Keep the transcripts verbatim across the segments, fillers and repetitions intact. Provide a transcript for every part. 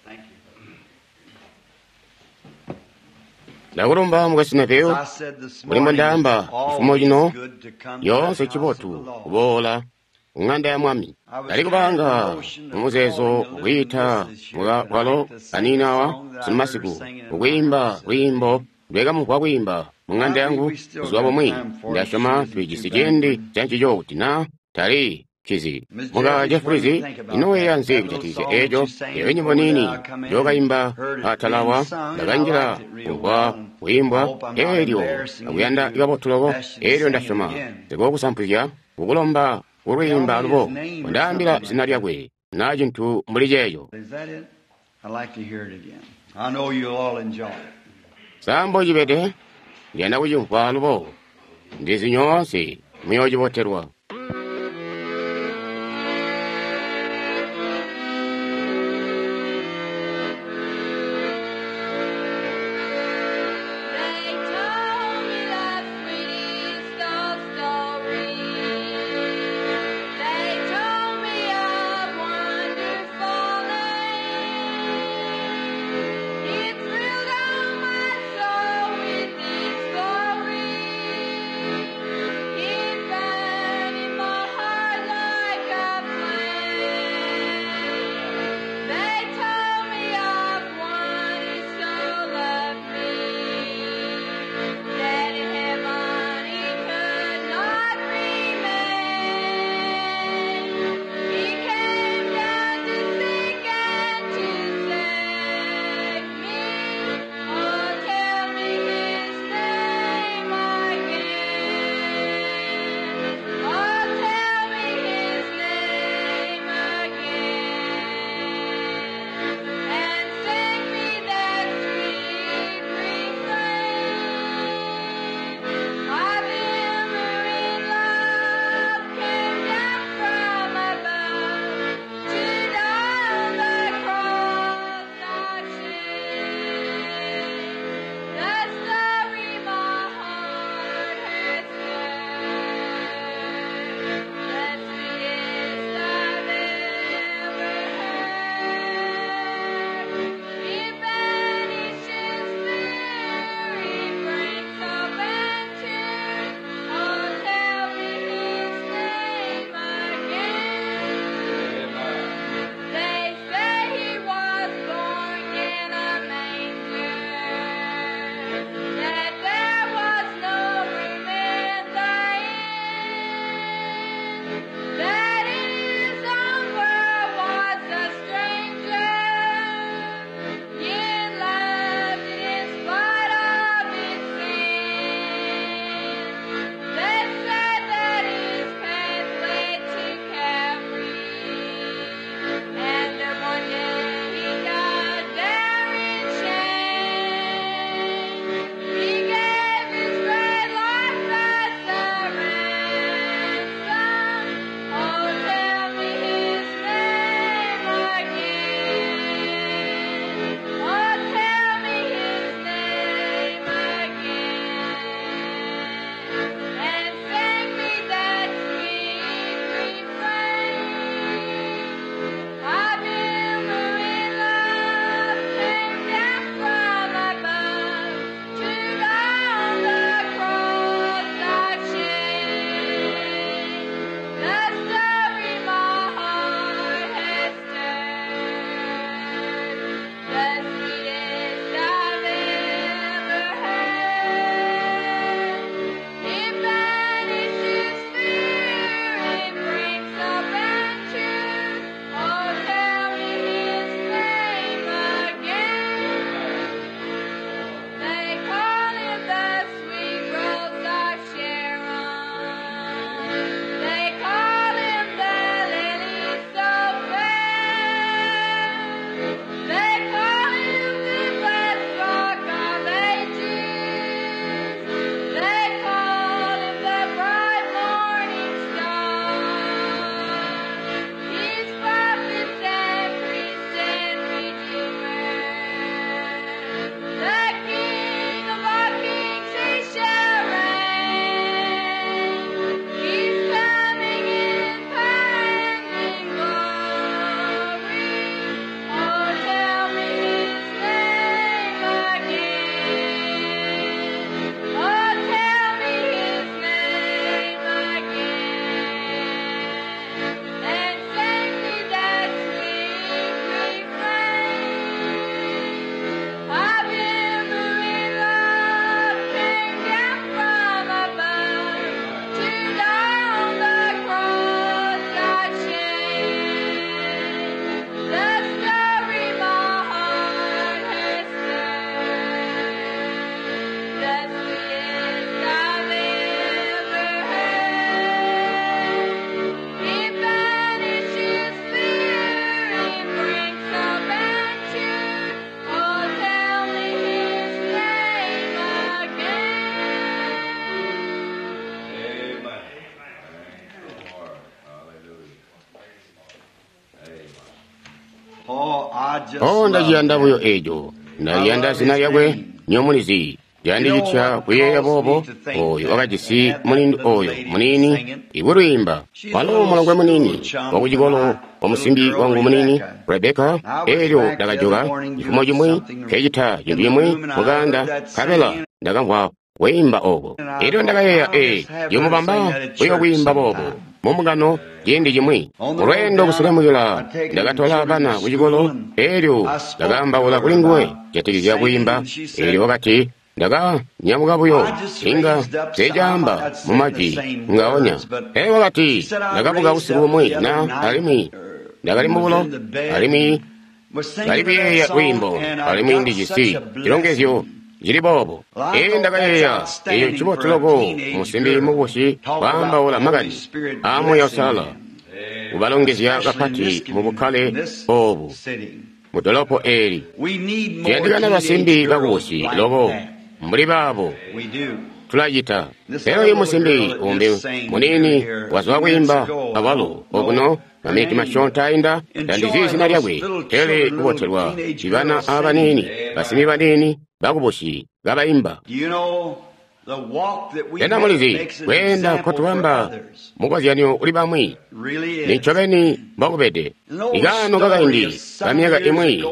Thank you. Ndakulumba mukwesu Neville. As I said this Mbuli morning, mbondaamba it's chifumo always chino good to come to yoonse the house of chibotu the Lord. kuboola ku ng'anda ya mwami ndali kubanga mumuzeezo kwiita mukakwalo kaninawa simasiku kukwiimba lwiimbo ndwekamumvwa kwiimba mu ng'anda yangu buzuba bumwi ndasyoma tulijisi ciindi cancico kuti na tali cizi muka Jeffries inoweya nzi kujatikizya eeco eyo nyimbo niini njokaimba atalawa ndakanjila kumvwa kuimbwa eelyo akuyanda kabotu loko eelyo ndasyoma ndikokusampuzya kukulomba kulwiimba alubo kundaambila zina lyakwe na cintu mbuli ceeco Is that it? I'd like to hear it again. I know you'll all enjoy it. sambo cibede ndiyanda kucimvwa alubo ndizi nyoonse muyoocibotelwa They told me the sweetest of stories. They told me of wonderful land. It thrilled all my soul with its glory. It burned in my O, ndaciyanda buyo eco. Ndaliyanda zina lyakwe, nyomulizi. Yandicitya kuyeeya boobo, oyo wakajisi mulindu oyo muniini ikulwiimba. Walo mulongwe muniini wakucikolo wa musimbi wangu muniini Rebeka. Elyo ndakajoka cifumo cimwi nkecita cintu cimwi mukanda, nkabela ndakamvwa kwiimba oko. Elyo ndakayeeya, ee, ndiyomubamba buyo kwiimba boobo mumbungano ciindi cimwi. Mulweendo kuselemukila ndakatola bana kucikolo, elyo ndakaambaula kuli nguwe kujatikizya kwiimba. Elyo wakati, ndakanyamuka buyo, inga teecaamba mumajwi ngaonya. Pele wakati, ndakabuka usiku bumwi na alimwi ndakali mubulo, alimwi ndali kuyeeya lwiimbo, alimwi ndijisi cilongezyo cili boobo. Ee, ndakayeeya, eyo ncibotu loko musimbi mukubusi kwaambaula makani aa Muuya Uusalala, kubalongezya kapati mu bukkale oobu mu dolopo eeli. Tuyandikana basimbi bakubusi loko mbuli baabo, tulacita. Pele oyu musimbi umbi muniini wazwa kwiimba awalo okuno maminiti masyoonto ainda, tandizi zina lyakwe, pele kubotelwa ibana abaniini, basimbi baniini bakubusi kabaimba. Sena mulizi kweenda nkotubamba mukozyanyo uli bamwi? Nincobeni mbokubede. Ikaano kakaindi kamyaka imwi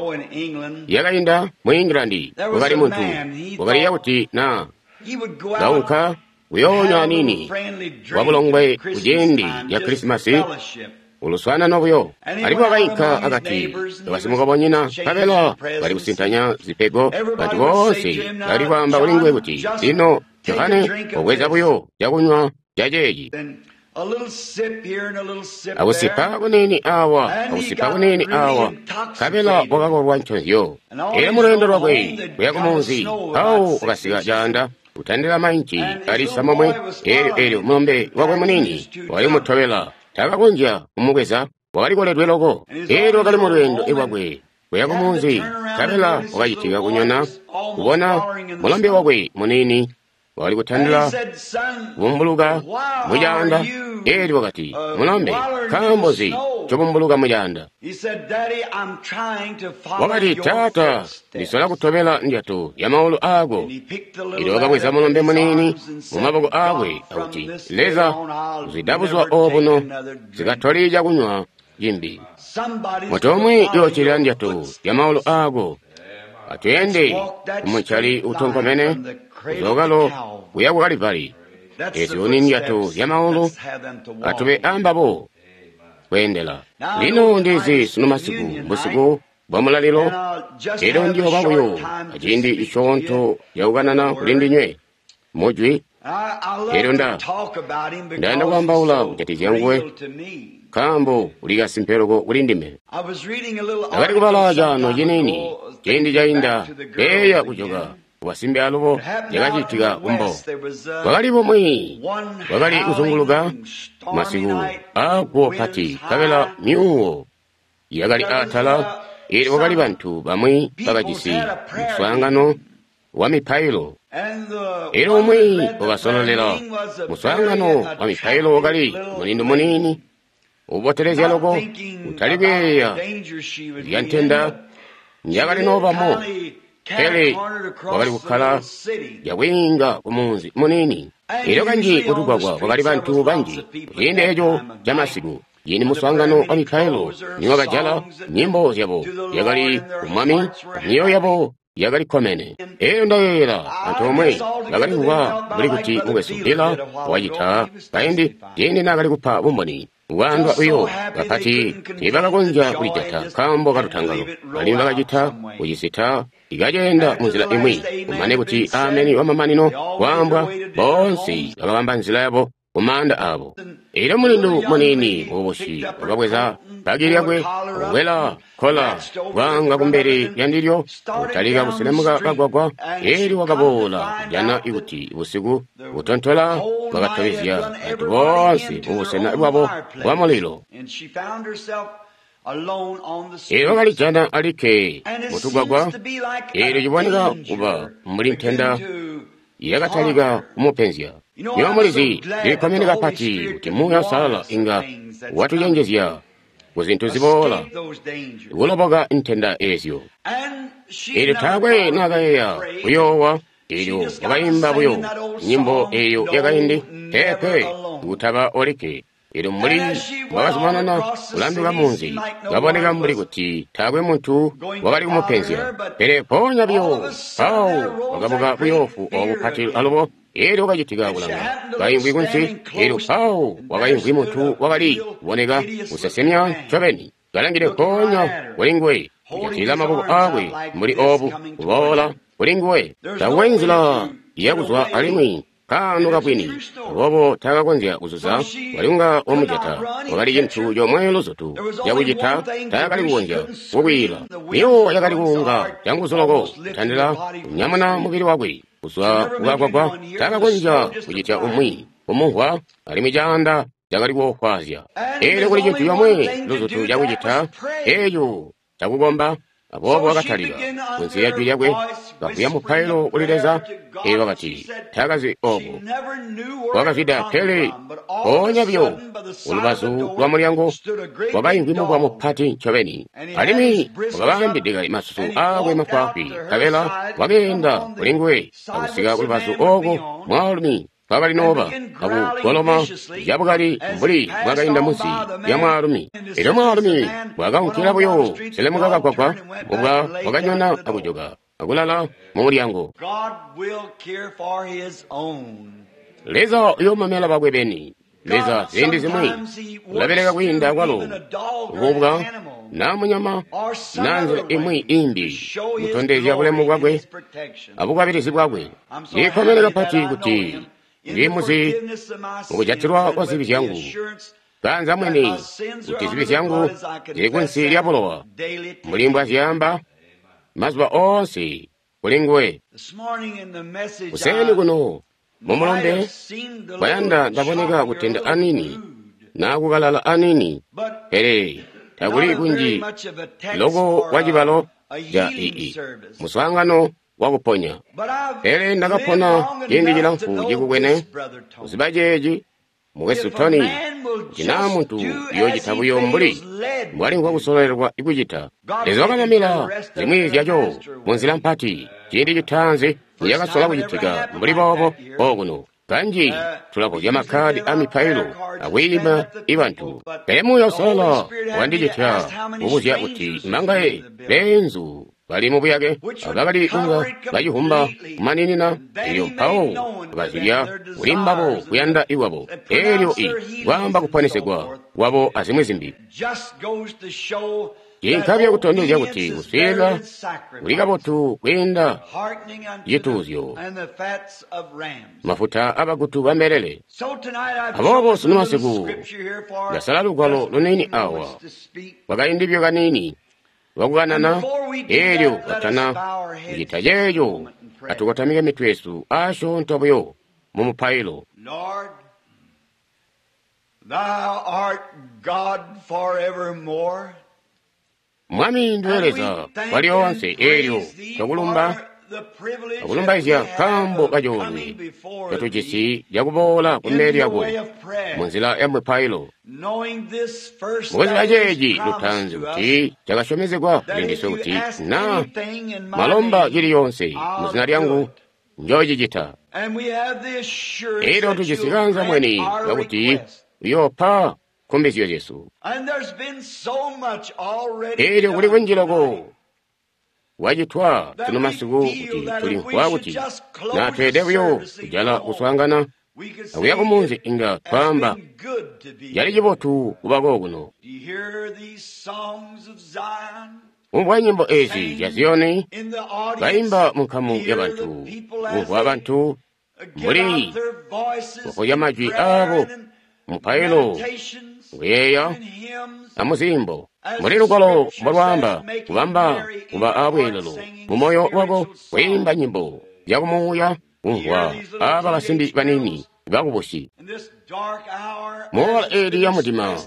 yakainda mu England, kwakali muntu wakaliya kuti na kaunka kuyoonywa aniini wabulongwe kuciindi ca Krisimasi uluswaanano buyo. Alimwi wakainka akati basimukobonyina, nkabela bali kusintanya zipego. Bantu boonse bali kwaamba kuli nguwe kuti, lino Johane, wabweza buyo cakunywa caceeci, akusipa kuniini awa, akusipa kuniini awa, nkabela wakakolwa nconzyo. Elyo mulweendo lwakwe kuya kumunzi, mpawo wakasika caanda kutandila mainci ali samomwe. Elyo elyo mulombe wakwe muniini wakali kumutobela, takakonzya kumubweza, wakali koledwe loko. Elyo wakali mulweendo lwakwe kuya kumunzi, nkabela wakacitika kunyona kubona mulombe wakwe muniini wakali kutandila kubumbuluka mucaanda. Elyo wakati, mulombe, nkaambo nzi ncobumbuluka mucaanda? Wakati, taata, ndisola kutobela ndyato ya maulu aako. Elyo wakabweza mulombe muniini mu maboko aakwe akuti, Leza, kuzwida buzuba obuno zikatoli cakunywa cimbi. Muntu umwi yoocilila ndyato ya maulu aako. Atweende kumuncali utonkomene kuzokalo kuya ku Kalivari. Ezyo ni ndyato zya maulu, atube ambabo kweendela. Lino ndizi sunu masiku busiku bwa mulalilo, elyo ndiyooba buyo aciindi cisyoonto cakukanana kuli ndinywe mujwi. Elyo nda ndayanda kwaambaula kujatikizya nguwe, nkaambo uli kasimpe loko kuli ndime. Ndakali kubala caano ciniini ciindi cainda, eya kujoka kubasimbi alubo cakacitika kumbo. Kwakali bumwi bwakali kuzunguluka masiku aaguwo pati, nkabela myuuwo yakali atala. Elyo kwakali bantu bamwi bakajisi muswaangano wa mipailo. Elyo umwi wakasololela muswaangano wa mipailo wakali mulindu muniini ubotelezya loko, utali kuyeeya zya ntenda njakali noobamo, pele wakali kukkala yakwiinga kumunzi muniini. Elyo kanji kutugwagwa kwakali bantu banji kuciindi eco camasiku. Yini muswaangano wa mipailo niwakajala, nyimbo zyabo yakali kumwami, myoyo yabo yakali kkomene. Elyo ndayeeyela antoomwe bakali kuba mbuli kuti mukwesu Bila wacita kaindi ciindi naakali kupa bumboni. Kwaandwa buyo kapati tiibakakonzya kulijata nkaambo kalutangalo, alimwi bakacita kucisita ikaceenda munzila imwi. Kumane kuti ameni wamamanino kwaambwa, boonse bakabamba nzila yabo kumaanda aabo. Elyo mulindu muniini mukubusi wakabweza baki lyakwe, kukwela kola kwaanga kumbele lyandilyo, kutalika kuselemuka kagwagwa. Elyo wakaboola kujana kuti busiku butontola bwakatobezya bantu boonse mubusena bwabo bwa mulilo. Elyo wakalijana alikke mutugwagwa. Elyo ciboneka kuba mbuli ntenda yakatalika kumupenzya. Nywebo mulizi, ndilikkomene kapati kuti Muuya Uusalala inga watucenjezya ku zintu ziboola, kuloboka ntenda ezyo. Eelyo taakwe naakayeeya kuyoowa, eelyo wakaimba buyo nyimbo eyo yakaindi, peepe, kutaba olikke. Eelyo mbuli wakazumanana kulanduka munzi, kaboneka mbuli kuti taakwe muntu wakali kumupenzya. Pele mpoonya buyo mpawo wakabuka buyoofu obu bupati alubo, eelyo wakacitika kulanga kaimvwi kunsi, eelyo mpawo wakaimvwi muntu wakali kuboneka kusesemya ncobeni, kalangide mpoonya kuli nguwe, kujatilila maboko aakwe mbuli obu, kuboola kuli nguwe. Taakwe nzila yakuzwa alimwi kaano kabwini, aboobo taakakonzya kuzuza, wali kunga wamujata. Wakali cintu comwe luzutu cakucita, taakali kukonzya kukwiila. Miwo yakali kuunga canguzu loko kutandila kunyamuna mubili wakwe kuzwa kukagwagwa, taakakonzya kucitya umwi kumumvwa, alimwi caanda cakali kuofwaazya. Eelyo kuli cintu comwe luzutu cakucita, eeco cakukomba. Aboobo wakatalika kunsi lya jwi lyakwe kavuya mupailo kuli Leza. Eelyo wakati taakazi obo wakazwida, pele mpoonya buyo ulubazu lwa mulyango wakaimvwi mubwa mupati ncobeni, alimwi wakabambidika masusu aakwe mafwaafwi, nkabela wakeenda kuli nguwe akusika kulubazu ooko mwaalumi kwakali nooba akugoloma cabukali mbuli bwakainda munsi lya mwaalumi. Elyo mwaalumi bwakaunkila buyo selemuka kagwagwa, mubwa wakanyona akujoka akulala mu mulyango. Leza uyoomamela bakwe beni. Leza ziindi zimwi ulabeleka kwiinda kwalo kububwa naa munyama naa nzila imwi imbi kutondezya bulemu bwakwe abukwabilizi bwakwe. Ndikkomene kapati kuti ndimuzi mukujatilwa kwa zibi zyangu, kanza mwini kuti zibi zyangu zili kunsi lya bulowa, mbuli mbwazyaamba mazuba oonse kuli nguwe. Kuseeni kuno mumulombe kwayanda ndaboneka kutenda anini naa kukalala anini, pele takuli kunji loko kwa cibalo ca ii muswaangano wakuponya. Pele ndakapona ciindi cilamfu cikukwene kuziba ceeci, mukwesu Tony, kuti naa muntu uyoocita buyo mbuli mbwalimvwa kusololelwa kucita. Leza wakamamila zimwi zyaco munzila mpati ciindi citaanzi nicakasola kucitika mbuli boobo okuno. Kanji tulabuzya makkadi a mipailo akwiima ibantu, pele Muuya Uusalala wandicitya kubuzya kuti mangaye beenzu bali mubuyake abakali kunga bacihumba kumaninina, elyo mpawo bakazibya kuli mbabo kuyanda ikwabo, elyo i kwaamba kuponesegwa kwabo azimwi zimbi. Cinkabya kutondezya kuti kuswiilila kuli kabotu kwiinda cituuzyo, mafuta abagutu bambelele. Aboobo sunu masiku ndasala lugwalo luniini awa kwakaindi kaniini lwakukanana, eelyo katana kucita ceeco atukotamike mitwe yesu asyoonto buyo mu mupailo. Mwami ndiwe Leza walyoonse, eelyo twakulumba akulumbaizya nkaambo kacoolwe catujisi cakuboola kumbele lyako munzila ya mupailo. Mukuziba ceeci lutaanzi kuti cakasyomezegwa kuli ndiswe kuti naa mwalomba cili yoonse muzina lyangu njoocicita. Eelyo tujisi kanza mweni kakuti uyoopa nkumbizyo zyesu. Eelyo kuli kunji loko wacitwa sunu masiku kuti tulimvwa kuti naa tweede buyo kujala kuswaangana akuya kumunzi inga twaamba cali cibotu kuba kokuno. Kumvwa nyimbo ezi zya Ziyoni baimba mu nkamu ya bantu, kumvwa bantu mbuli kukozya majwi aabo mupailo, kuyeeya amuzimbo mbuli lugwalo mbolwaamba kubamba kuba abweelelo mumoyo wako kwiimba nyimbo zyakumuuya kumvwa aba basimbi baniini bakubusi muola eeli ya mudima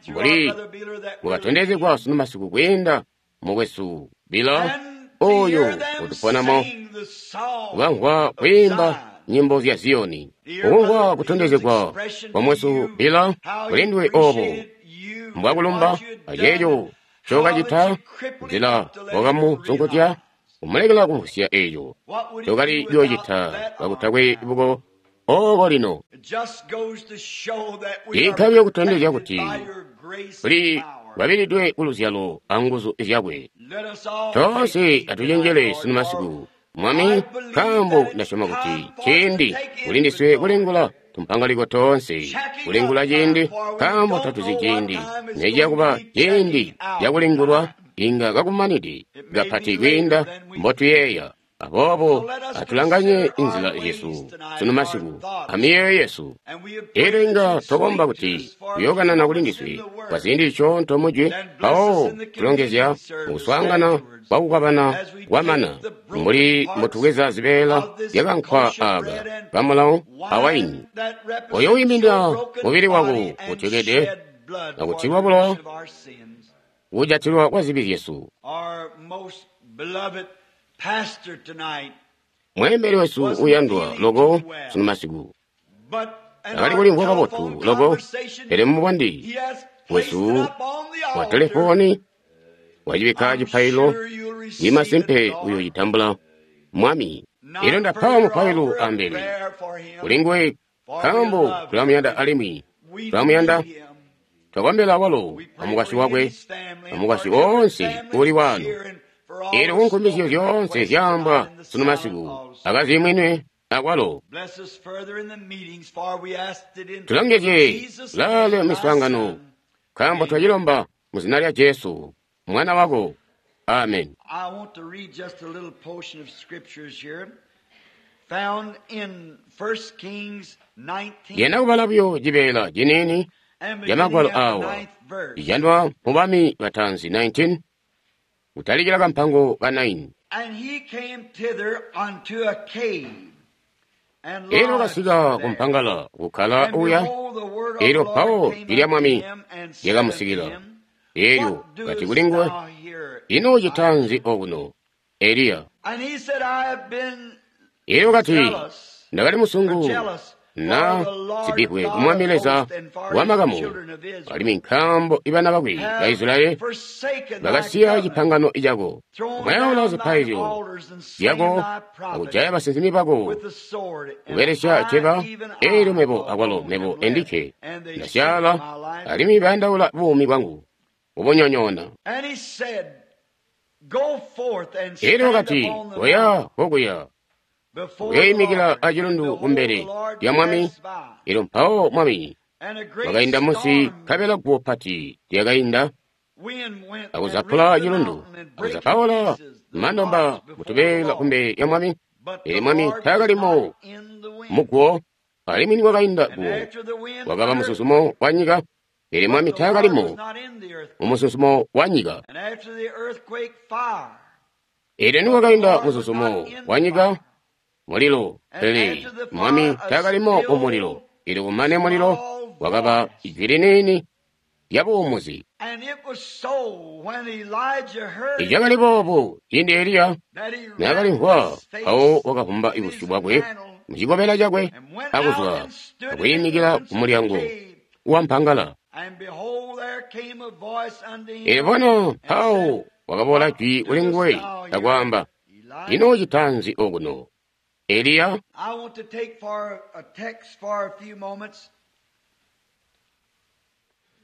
mbuli bwakatondezegwa sunu masiku kwiinda mukwesu Bila oyo utuponamo kukamvwa kwiimba nyimbo zya Ziyoni, ukumvwa kutondezegwa kwa mwesu Bila kulindwe obo mbwakulumba aceeco ncokacita nzila wakamusunkutya kumulekela kumvwisya eeco ncokali kuyoocita kakutakwe buko ooko lino. Ciinka kutondezya kuti tuli kwabilidwe kuluzyalo anguzu zyakwe. Toonse atucenjele sunu masiku, Mwami, nkaambo ndasyoma kuti ciindi kulindiswe kulingula tumpangaliko toonse, kulingula ciindi, nkaambo tatuzi ciindi neciyakuba ciindi cakulingulwa inga kakumanide kapati kwiinda mbotuyeeya. Aboobo atulanganye inzila zyesu sunu masiku amiyeeyo yesu. Elyo inga twakomba kuti kuyookanana kulindiswe kwa ziindi zisyoonto mujwi, mpawo tulongezya mukuswaangana kwakukwabana kwamana mbuli mbotubweza zibeela zyakankwa aaka kamulawo awaini oyo wiiminina mubili wako utyokede akutilwa bulowa kujatilwa kwa zibi zyesu. Mweembeli wesu uyandwa loko sunu masiku akali kulimvwa kabotu loko, pele mubandi wesu wa telefoni wacibikka cipailo ni masimpe uyoocitambula Mwami. Elyo ndapa mupailo ambele kulinguwe nkaambo tulamuyanda alimwi tulamuyanda. Twakombela walo amukwasyi wakwe amukwasyi woonse uli waano. Elyo kunkumbizyo zyoonse zyaambwa sunu masiku akazimwinwe akwalo. Tulongezye lale miswaangano nkaambo twacilomba mu zina lya Jesu mwana wako. Amen. I want to read just a little portion of scriptures here found in First Kings nineteen. Yena kubala buyo cibeela ciniini and ca magwalo beginning at the awa ninth verse. icandwa mu Bami Batanzi nineteen kutalikila kampango ka nine. And he came thither unto a cave, and Elyo lodged kasika there. kumpangala kukkala And uya. behold, the word of Elyo the Lord mpawo came lilya unto Mwami him and said lyakamusikila. unto him, Elyo What kati doest kuli nguwe, thou here, ino Elijah? ucitanzi okuno, Eliya? And he said, I have been Elyo kati, zealous, ndakali musungu jealous na for the Lord sibikwe God ku Mwami of Leza hosts and for wa his makamu, children of Israel. alimwi nkaambo ibana bakwe ba Have Israyeli forsaken thy bakasiya covenant, cipangano cako, thrown kumayaula down thine zipaizyo altars and slain zyako thy prophets akujaya basinsimi bako with the sword. And kubelesya I, ceba. even Elyo I mebo alone akwalo am mebo left, endikke and they seek ndasyaala, my life. alimwi bayandaula buumi bwangu kubunyonyoona. And he said, Go forth and Elyo stand kati, upon the oya mount kokuya before the uyoyimikila Lord. And acilundu behold, kumbele the Lord lya Mwami. passed by. Elyo mpawo Mwami And a great wakainda munsi, storm nkabela guwo pati lyakainda wind went and akuzapula rent the cilundu, mountain and brake in akuzapaula pieces the mandomba rocks before the mutubeela Lord. kumbele lya Mwami. But Pele the Mwami Lord was taakalimo not in the wind. muguwo, alimwi nikwakainda And guwo after the wind, wakaba an mususumo earthquake. wa nyika. Pele But Mwami the Lord was taakalimo not in the earthquake. mumususumo wa nyika. And after the earthquake, fire. Elyo But the nikwakainda Lord was mususumo not in wa the nyika, fire. mulilo. And Pele after the Mwami fire, a taakalimo mumulilo. still Elyo kumane mulilo small wakaba voice. ijwi liniini lya buumuzi. And it was so when Elijah heard it Icakali boobo ciindi Eliya that he wrapped naakalimvwa, his mpawo face wakavumba in busyu his bwakwe mantle mucikobela cakwe and went out akuzwa and stood in the akuyimikila entrance ku of the mulyango cave. wa mpangala. And behold, there came a voice unto Elyo him bona and mpawo said, wakaboola What jwi kuli doest nguwe thou here, akwaamba, ino Elijah? ucitanzi okuno, Eliya? I want to take for a text for a few moments.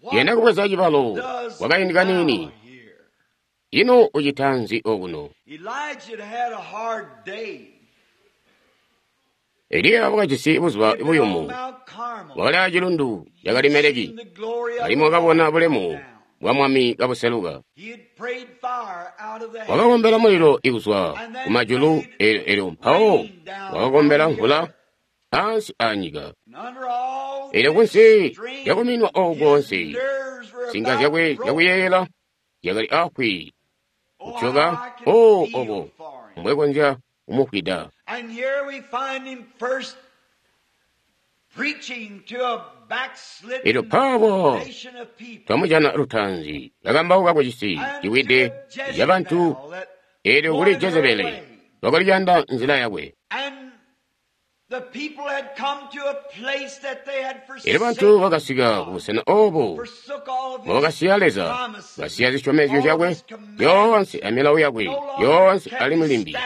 What Yena kubweza cibalo does kwakaindi kaniini, thou here? ino ucitanzi okuno? Elijah had had a hard day. Eliya wakajisi buzuba He'd been on buyumu, Mount Carmel. wakali acilundu He'd cakalimeleki, seen the glory of alimwi the wakabona Lord come bulemu down. bwa Mwami kabuseluka. He had prayed fire out of the Wakakombela heavens mulilo ikuzwa and then kumajulu, prayed elyo elyo mpawo rain down wakakombela on the mvula earth. ansi aanyika. And under all Elyo this kunsi strain, lyakuminwa oku his konse, nerves were nsinga about zyakwe broken. zyakuyeyela zyakali afwi Oh, how kutyoka. I can O feel obo for him. mbwekonzya kumufwida. And here we find him first preaching to a Elyo backslidden mpawo nation of people twamujana lutaanzi kakambauka ku cisi and to ciwide a cabantu. Jezebel that Elyo kuli wanted her Jezebeli way. wakaliyanda nzila yakwe. And Elyo bantu bakasika kubusena obo mbobakasiya Leza, basiya zisyomezyo zyakwe zyoonse amilawo yakwe yoonse alimwi limbi.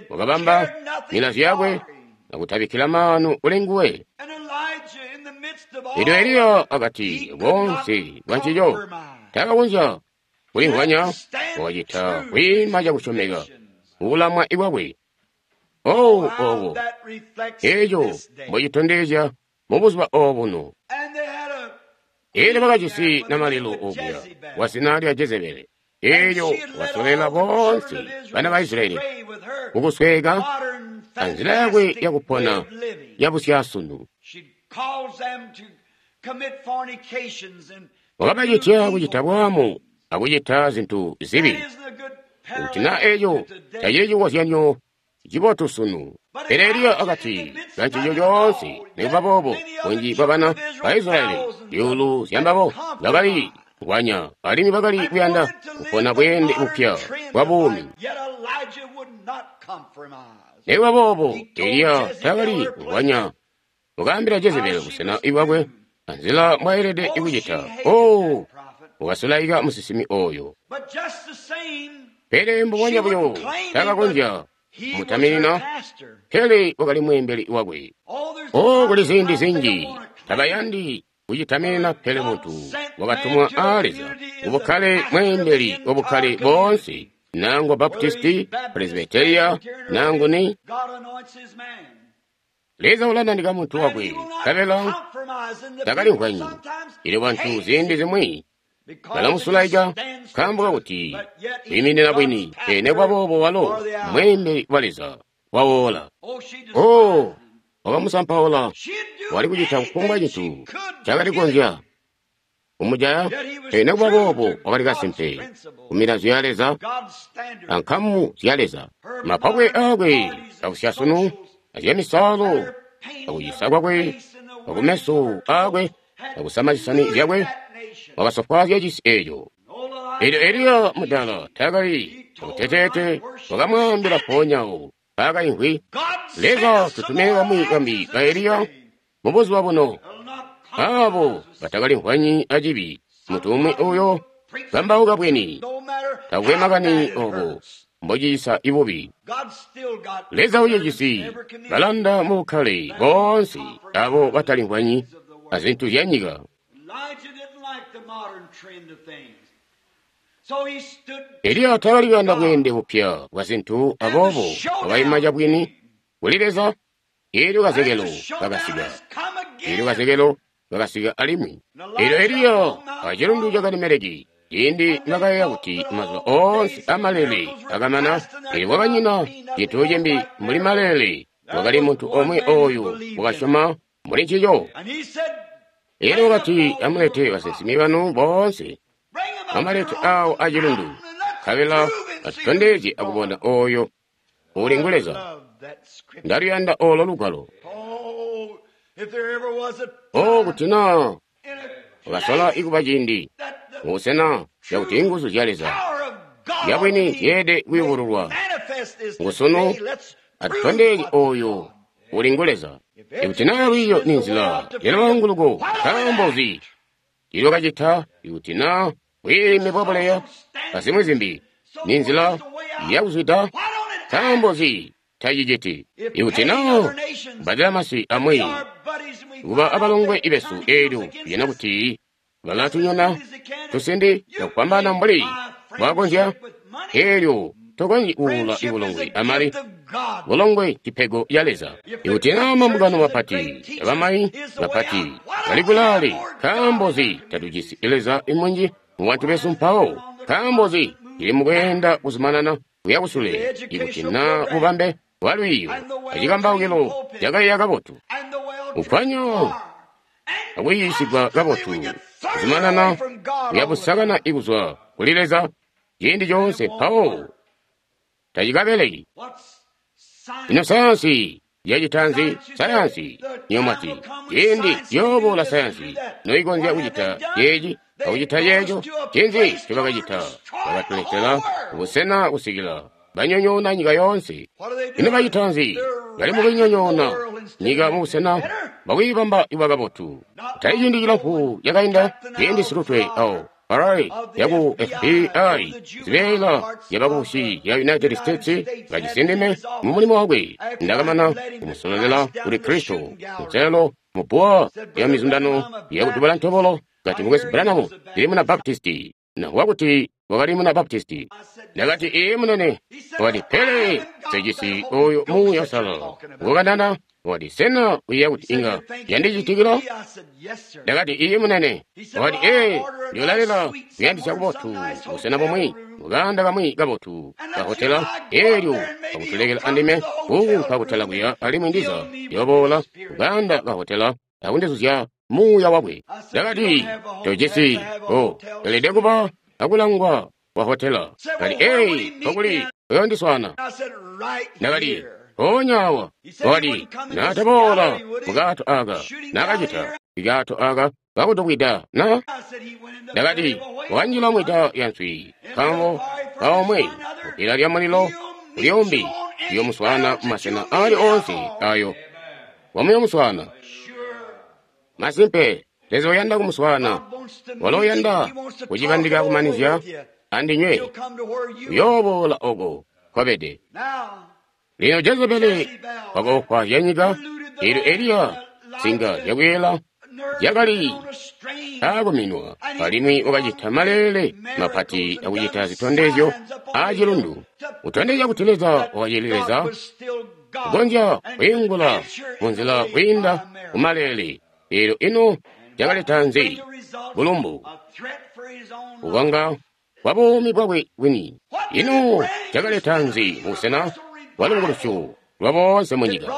Wakabamba milazyo yakwe akutabikkila maanu kuli nguwe. Elyo Eliya akati boonse bwa ncico takakonzya kulimvwanya, wakacita kwiima cakusyomeka mukulamwa kwakwe. Oh, obo eco mbocitondezya mubuzuba obuno. Elyo bakajisi namalelo okuya wa zina lya Jezebele. Elyo wasolela boonse bana ba Israyeli kukusweka anzila yakwe yakupona yabusyasunu. Wakabacitya kucita bwaamu akucita zintu zibi. Kuti na eco tacili cikozyanyo cibotu sunu. Pele Eliya akati kancico coonse, nikuba boobo bunji bwa bana ba Israyeli zyuulu zyambabo bakali kulwanya alimwi bakali kuyanda kupona bweende bupya bwa buumi. Nikuba boobo Eliya taakali kulwanya. Wakaambila Jezebeli busena bwakwe anzila mbwayelede kucita. Oh, wakasulaika musinsimi oyo. Pele mbubonya buyo taakakonzya mutaminina, pele wakali mweembeli wakwe. Oh, kuli ziindi zinji tabayandi kucitaminina, pele muntu wakatumwa aa Leza ubukkale mweembeli wabukkale boonse, nangwa Baptisti, Presbyteria, nangu ni Leza ulanandika muntu wakwe, nkabela takalimvwanyi. Elyo bantu ziindi zimwi balamusulaika nkaambo kakuti wiiminina bwini, pele nikuba boobo walo mweembeli wa Leza wawoola. Oh, wakamusampaula, wali kucita kufumbwa cintu cakali kukonzya kumujaya, pele nikuba boobo wakali kasimpe kumilazyo ya Leza ankamu zya Leza. Mapakwe aakwe akusyasunu azyamisaalo akucisa kwakwe akumeso aakwe akusama zisani zyakwe wakasofwaazya cisi eeco. Elyo Eliya mudala taakali akuteteete, wakamwaambila mpoonyawo paakaimvwi, Leza tutumine bamwi bambi ba Eliya mubuzuba buno, aabo batakalimvwanyi acibi, muntu umwi uyo kambauka bwini, takwe makani obo mbocisa ibubi. Leza ucijisi balanda mubukkale boonse abo batalimvwanyi azintu zya nyika. Eliya taakali kuyanda bweende bupya bwa zintu, aboobo wakaima cabwini kuli Leza. Elyo kazekelo kakasika, elyo kazekelo kakasika alimwi. Elyo Eliya acilundu ca Karimeleki, ciindi nakayeeya kuti mazuba oonse amalele akamana, elyo kwakanyina cintu cimbi mbuli malele, wakali muntu omwe oyu wakasyoma muli ncico. Elyo wakati, amulete basinsimi banu boonse, amalete awo acilundu, nkabela atutondezye akubona oyo uli ngu Leza. Ndaluyanda olo lugwalo. Oh, kuti na wakasola ikuba ciindi mubusena cakuti inguzu zya Leza zyabwini zyeelede kuyubululwa ngusunu, atutondezye oyo uli ngu Leza. Ikuti naa lwiiyo ni nzila yalwaanguluko, nkaambo nzi ilwakacita? Ikuti naa bwiime bwa buleya azimwi zimbi ni nzila yakuzwida, nkaambo nzi taciciti? Ikuti naa kubadela masi amwi kuba abalongwe ibesu, eelyo kujana kuti balatunyona tusindi cakupambana mbuli bwakonzya, eelyo tokonzyi kuula ibulongwe amali. Bulongwe cipego ya Leza. Ikuti naa mambungano mapati abamayi bapati bali kulaale, nkaambo nzi tatujisi Leza imunji mubantu besu mpawo? Nkaambo nzi tili mukweenda kuzumanana kuya kusule? Ikuti naa bubambe bwa lwiiyo acikambaukilo cakaiya kabotu, kukwanya akuyiisigwa kabotu, kuzumanana kuya busakana ikuzwa kuli Leza ciindi coonse, mpawo tacikabeleki. Ino sayansi yacita nzi? Sayansi niyomwati ciindi yooboola sayansi noikonzya kucita ceeci akucita ceeco. Ncinzi ncobakacita? Bakatuletela busena kusikila banyonyoona nyika yoonse. Ino bacita nzi? Bali mukunyonyoona nyika mubusena bwakwiibamba iba kabotu. Tali ciindi cilamfu cakainda ciindi silutwe awo Harari yaku F B I zibeela zyabakubusi ya United States kajisindime mu mulimo wakwe. Ndakamana kumusololela kuli Kristo kunselelo mu bbuwa lya mizundano yakutubala ntobolo kati mukwesu Branham ndili muna Baptisti nakuba kuti wakali muna Baptisti. Ndakati iye munene. Wakati pele sejisi oyo Muuya Uusalala ngokanana. Wakati sena uyeeya kuti inga yandicitikila? Ndakati iye munene. Wakati ee, ndiyolalela kuyandisya kubotu busena bumwi mukanda kamwi kabotu kahotela eelyo kakutulekela andime kuunka kutala kuya alimwi ndiza ndiyoboola kukanda kahotela akundizuzya muuya wakwe. Ndakati tojisi o elede kuba akulangwa kwa hotela. Kati ee, nkokuli uyondiswana. Ndakati mpoonya awa. Wakati naataboola mukaato aka nakacita ikato aka kakutubwida na. Ndakati wanjila mwita ya nswi nkambo kaomwe kupila lya mulilo ulyombi uyomuswana mumasena ali onse ayo wamuyomuswana. Masimpe Leza uyanda kumuswana, walo uyanda kucibandika kumanizya andinywe, uyooboola oko kwabede. Lino Jezebeli wakoofwaazya nyika, eelyo Eliya nsinga zyakuyela zyakali aakuminwa, alimwi wakacita maleele mapati akucita zitondezyo aacilundu, kutondezya kuti Leza wakacili Leza, kukonzya kwiingula munzila kwiinda kumaleele. Eelyo ino cakaleta nzi? Bulumbu, kukonga kwa buumi bwakwe bwini. Ino cakaleta nzi mubusena bwa lubukulusyo lwa boonse mu nyika?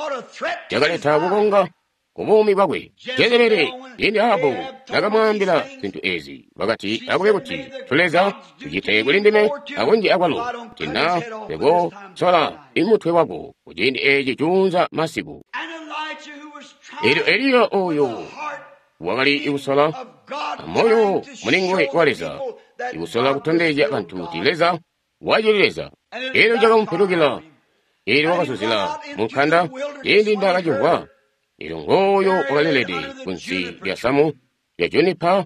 Cakaleta kukonga ku buumi bwakwe. Jezebeli ciindi Ahabu nakamwaambila zintu ezi, wakati akube kuti tuleza tucite kuli ndime akunji akwalo, kuti na ndikosola imutwe wako kuciindi eci cuunza masiku. Eelyo Eliya oyo wakali ikusola amoyo mulinguwe wa Leza, ikusola kutondezya bantu kuti Leza wacili Leza. Eelyo cakamupilukila, eelyo wakazuzila mu nkanda ciindi ndakacimvwa. Eelyo ngooyo wakalelede kunsi lya samu lya junipa,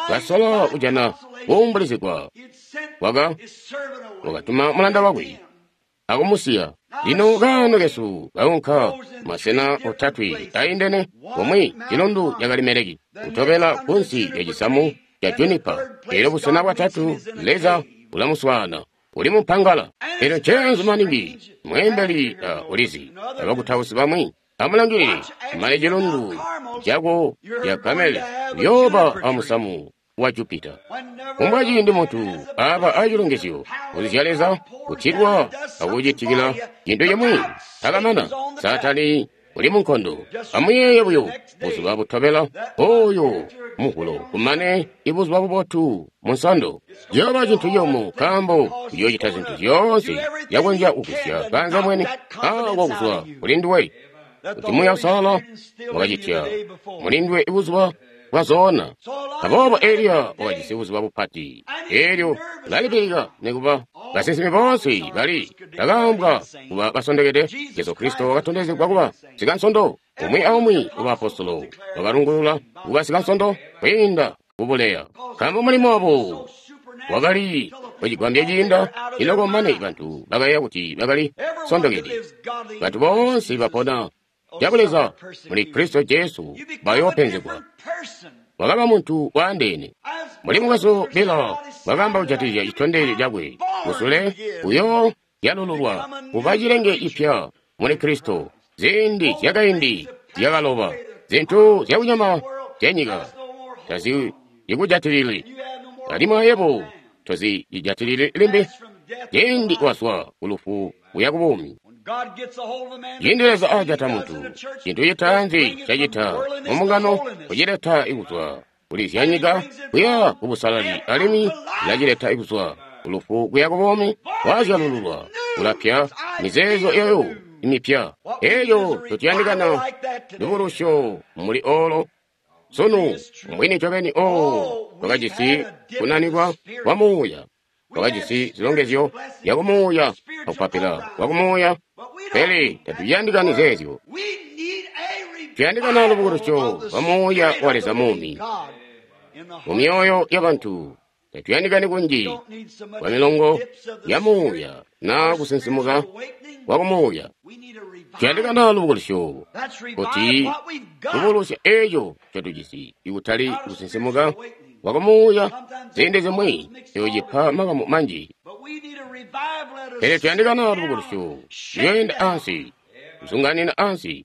kasola kujana kuumbulizigwa. Waka wakatuma mulanda wakwe akumusiya. Lino kaano kesu kaunka masena otatwe aindene, komwe cilundu ca Kalimeleki, kutobela kunsi lya cisamu ca junipa. Eelyo busena bwatatu Leza ulamuswaana uli mumpangala. Eelyo ncenzu maningi mweembeli uh, ulizi abakutausi bamwi amulangilile male cilundu cako ca Kamele uyooba amusamu wa Jupita. Kumbwa ciindi muntu aba acilongezyo kuzya Leza kutilwa akucitikila cintu cimwi takamana. Saatani uli munkondo. Amuyeeye buyo buzuba butobela oyo muhulo kumane ibuzuba bubotu munsondo ciyooba cintu ciyumu nkaambo uyoocita zintu zyoonse zyakonzya kugusya kanza mwene ako kuzwa kuli nduwe kuti Muuya Uusalala wakacitya muli nduwe ibuzuba bwazoona. Aboobo Eliya wakajisi buzuba bupati, eelyo ulalipilika nikuba basinsimi boonse bali bakaambwa kuba basondekede. Jesu Kristo wakatondezegwa kuba sikansondo, umwi aumwi wabaapostolo wakalungulula kuba sikansondo kwiinda kubuleya, nkaambo mulimo wabo wakali wacigwambya ciinda iloko mane bantu bakayeeya kuti bakali sondokede. Bantu boonse bapona cabuleza muli Kristo Jesu bayoopenzegwa. Wakaba muntu waandeene. Muli mukwesu Bila wakaamba kujatikizya citondezyo cakwe musule uyo yalululwa kuba cilenge cipya muli Kristo. Ziindi zyakaindi zyakaloba, zintu zyakunyama zyanyika tazikujatilili, alimwi ayebo tozijatilili limbi. Ciindi wazwa kulufu kuya kubuumi. Ciindi Leza ajata muntu, cintu citaanzi cacita mumbungano kucileta ikuzwa kuli zyanyika kuya kubusalali, alimwi ilacileta ikuzwa kulufu kuya kubuumi. Wazyalululwa ulapya mizeezo eyo imipya. Eyo tutiyandikana lubulusyo muli olo sunu mbwini ncobeni. Oo, twakajisi kunanikwa kwa muuya, twakajisi zilongezyo zyakumuuya akupapila kwakumuuya, pele tatuyandikani zeezyo. Tuyandikana lubukulusyo lwa Muuya wa Leza muumi mu myoyo y'abantu. Tatuyandikani kunji kwa milongo ya muuya na kusinsimuka kwa kumuuya. Tuyandikana lubukulusyo kuti lubukulusya eco ncotujisi, ikutali kusinsimuka kwa kumuuya. Ziindi zimwi eco cipa makamu manji, pele tuyandikana lubukulusyo luyoyenda ansi, kuzunganina ansi,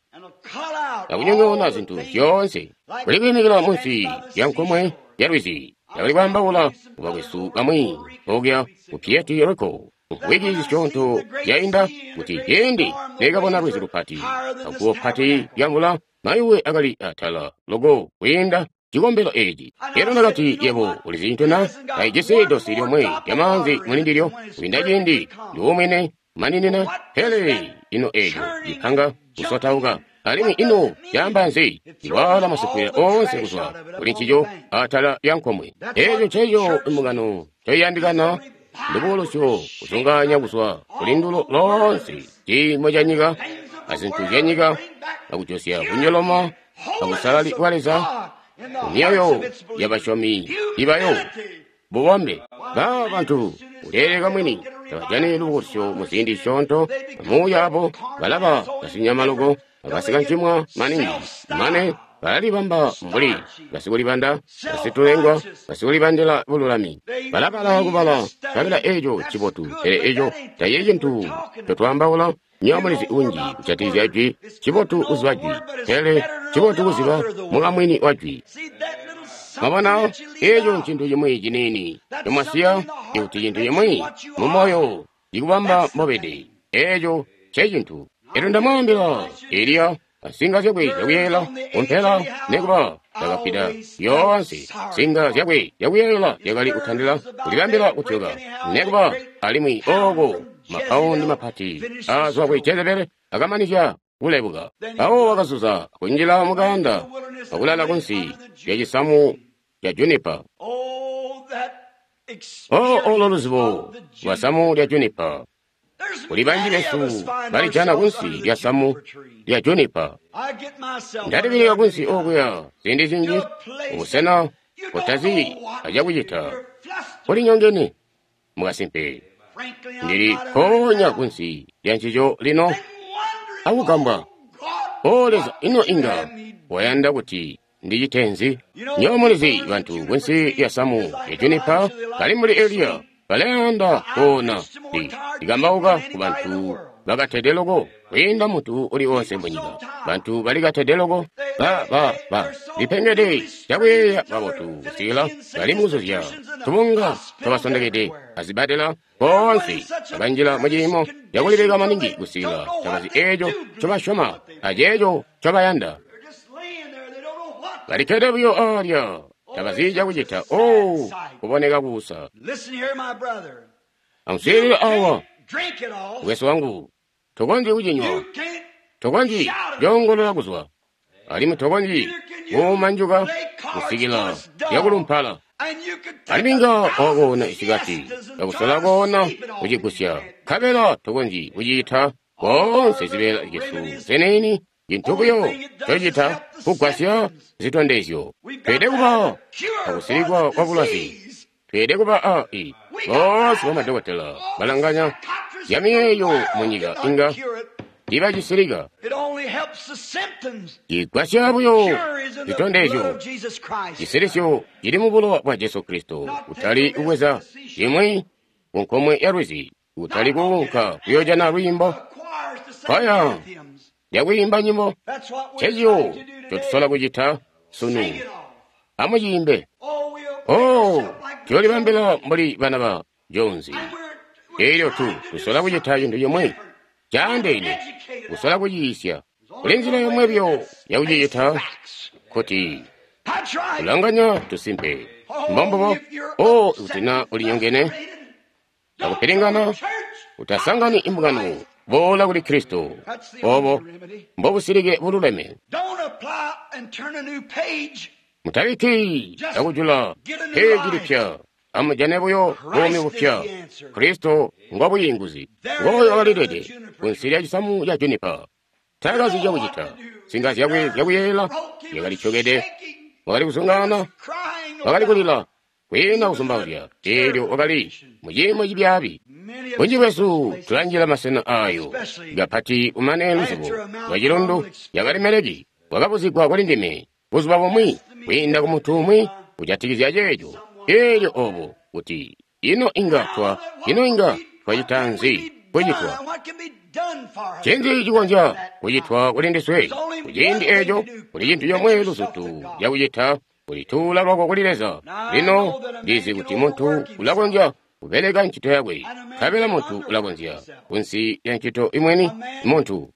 akunyonyoona zintu zyoonse. Kuli kwiimikila munsi lya nkomwe ya lwizi, ndakali kwaambaula kubakwesu bamwi okuya ku Puerto Rico wiki zisyoonto zyainda, kuti ciindi neekabona lwizi lupati aguwo pati lya mvula, mayuwe akali atala loko kwiinda cikombelo eeci. Elyo ndakati, yebo ulizi cintu na? Taijisi dosi lyomwe lya maanzi muli ndilyo kwiinda ciindi ndiwomwene maninina. Pele ino eeco cipanga kusotauka, alimwi ino caamba nzi? Iwaala masipwila oonse kuzwa kuli ncico atala lya nkomwe. Eeco nceco imbungano ncoiyandikana, lubukulusyo, kuzunganya kuzwa kuli ndulo loonse ciimo ca nyika azintu zya nyika, akujosya kunyoloma abusalali bwa Leza mu myoyo y'abasyomi ibayo bubombe. Ba bantu kuleeleka mwini tabajani lubukulusyo mu ziindi zisyoonto. Amuuya abo balaba basinyama loko, abasikancimwa maningi, mane balalibamba mbuli basikulibanda, basitulengwa, basikulibandila bululami. Balabala kubala kabila eco cibotu, pele eco tacili cintu ncotwaambaula. Nywebo mulizi unji kujatikizya jwi. Cibotu kuziba jwi, pele cibotu kuziba mukamwini wa jwi. Mwabona, eco ncintu cimwi ciniini comwasiya, ikuti cintu cimwi mu moyo cikubamba mbobede. Eco ncecintu. Elyo ndamwaambila Eliya asinga zyakwe zyakuyeyela kumpela, nekuba takapita yoonse nsinga zyakwe zyakuyeyela zyakali kutandila kulibambila kutyoka, nekuba alimwi ooko mapaundi mapati aazwa kuli Jezebele akamanizya kulebuka. Mpawo wakazuza kunjila mukaanda akulala kunsi lya cisamu ca junipa. O olo luzibo lwa samu lya junipa! Kuli banji besu balijana kunsi lya samu lya junipa. Ndalibilika kunsi okuya ziindi zinji, ubusena butazi acakucita, kulinyongene mukasimpe. Ndili mpoonya kunsi lya ncico lino akugambwa, O Leza, ino inga wayanda kuti ndicite nzi? Nywebo mulizi, bantu kunsi lya samu lya junipa bali mbuli Eliya, balayanda koona. Ndikambauka ku bantu bakatede loko kwiinda muntu uli wonse munyika. Bantu balikatede loko, ba ba ba lipengede cakuyeeya kabotu kusikila bali mukuzuzya tubunga twabasondekede azibadela boonse bakanjila muciimo cakulileka maningi kusikila tabazi eeco ncobasyoma aceeco ncobayanda. Balikkede buyo aalya, tabazi cakucita. Oh, kuboneka kuusa. Amuswiilile awa, mukwesu wangu, tokonzyi kucinywa, tokonzyi coongolola kuzwa, alimwi tokonzyi kuumanjuka kusikila lyakulumpala. Alimwi inga wakoona isikati, akusola koona kucigusya, nkabela tokonzyi kucita. Koonse zibeela zyesu ziniini, cintu buyo cocita kugwasya zitondezyo. Tweelede kuba akusilikwa kwa bulwazi. Tweelede kuba a i boonse bamadokotela balanganya zyamiyeeyo munyika inga tiibacisilika. Cigwasya buyo zitondezyo. Cisilisyo cili mu bulowa bwa Jesu Kristo, kutali kubweza cimwi ku nkomwe ya lwizi, kutali kuunka kuyoojana lwiimbo kwaya lyakwiimba nyimbo. Ncencico ncotusola kucita sunu. Amuciimbe. Oh, tuyoolibambila mbuli bana ba Jones. Elyo tu tusola kucita cintu cimwi caandeene, kusola kuciisya. Kuli nzila yomwe buyo yakucicita, kuti kulanganya tusimpe. Mbombubo. Oh, ikuti na ulinyongene akupilingana, utasangani imbungano. Boola kuli Kristo. Obo mbobusilike bululeme. Mutabikki akujula peji lipya. Amujane buyo buumi bupya. Kristo ngo buyinguzi. Ngooyo wakalilede kunsi lya cisamu ca junipa. Taakazi cakucita. Nsinga zyakwe zyakuyeeyela zyakali tyokede. Wakali kuzungaana, wakali kulila, kwiina kuzumbauzya. Eelyo wakali muciimo cibyaabi. Bunji bwesu tulanjila masena ayo, kapati kumane luzibo lwa cilundu yakali Meleki. Wakabuzigwa kuli ndime buzuba bumwi kwiinda ku muntu umwi kujatikizya ceeco. Eelyo obo kuti ino inga twa ino inga twacita nzi kucitwa ncinzi cikonzya kucitwa kuli ndiswe kuciindi eco kuli cintu comwe luzutu cakucita kulituula lwako kuli Leza. Lino ndizi kuti muntu ulakonzya kubeleka ncito yakwe, nkabela muntu ulakonzya kunsi lya ncito imweni muntu.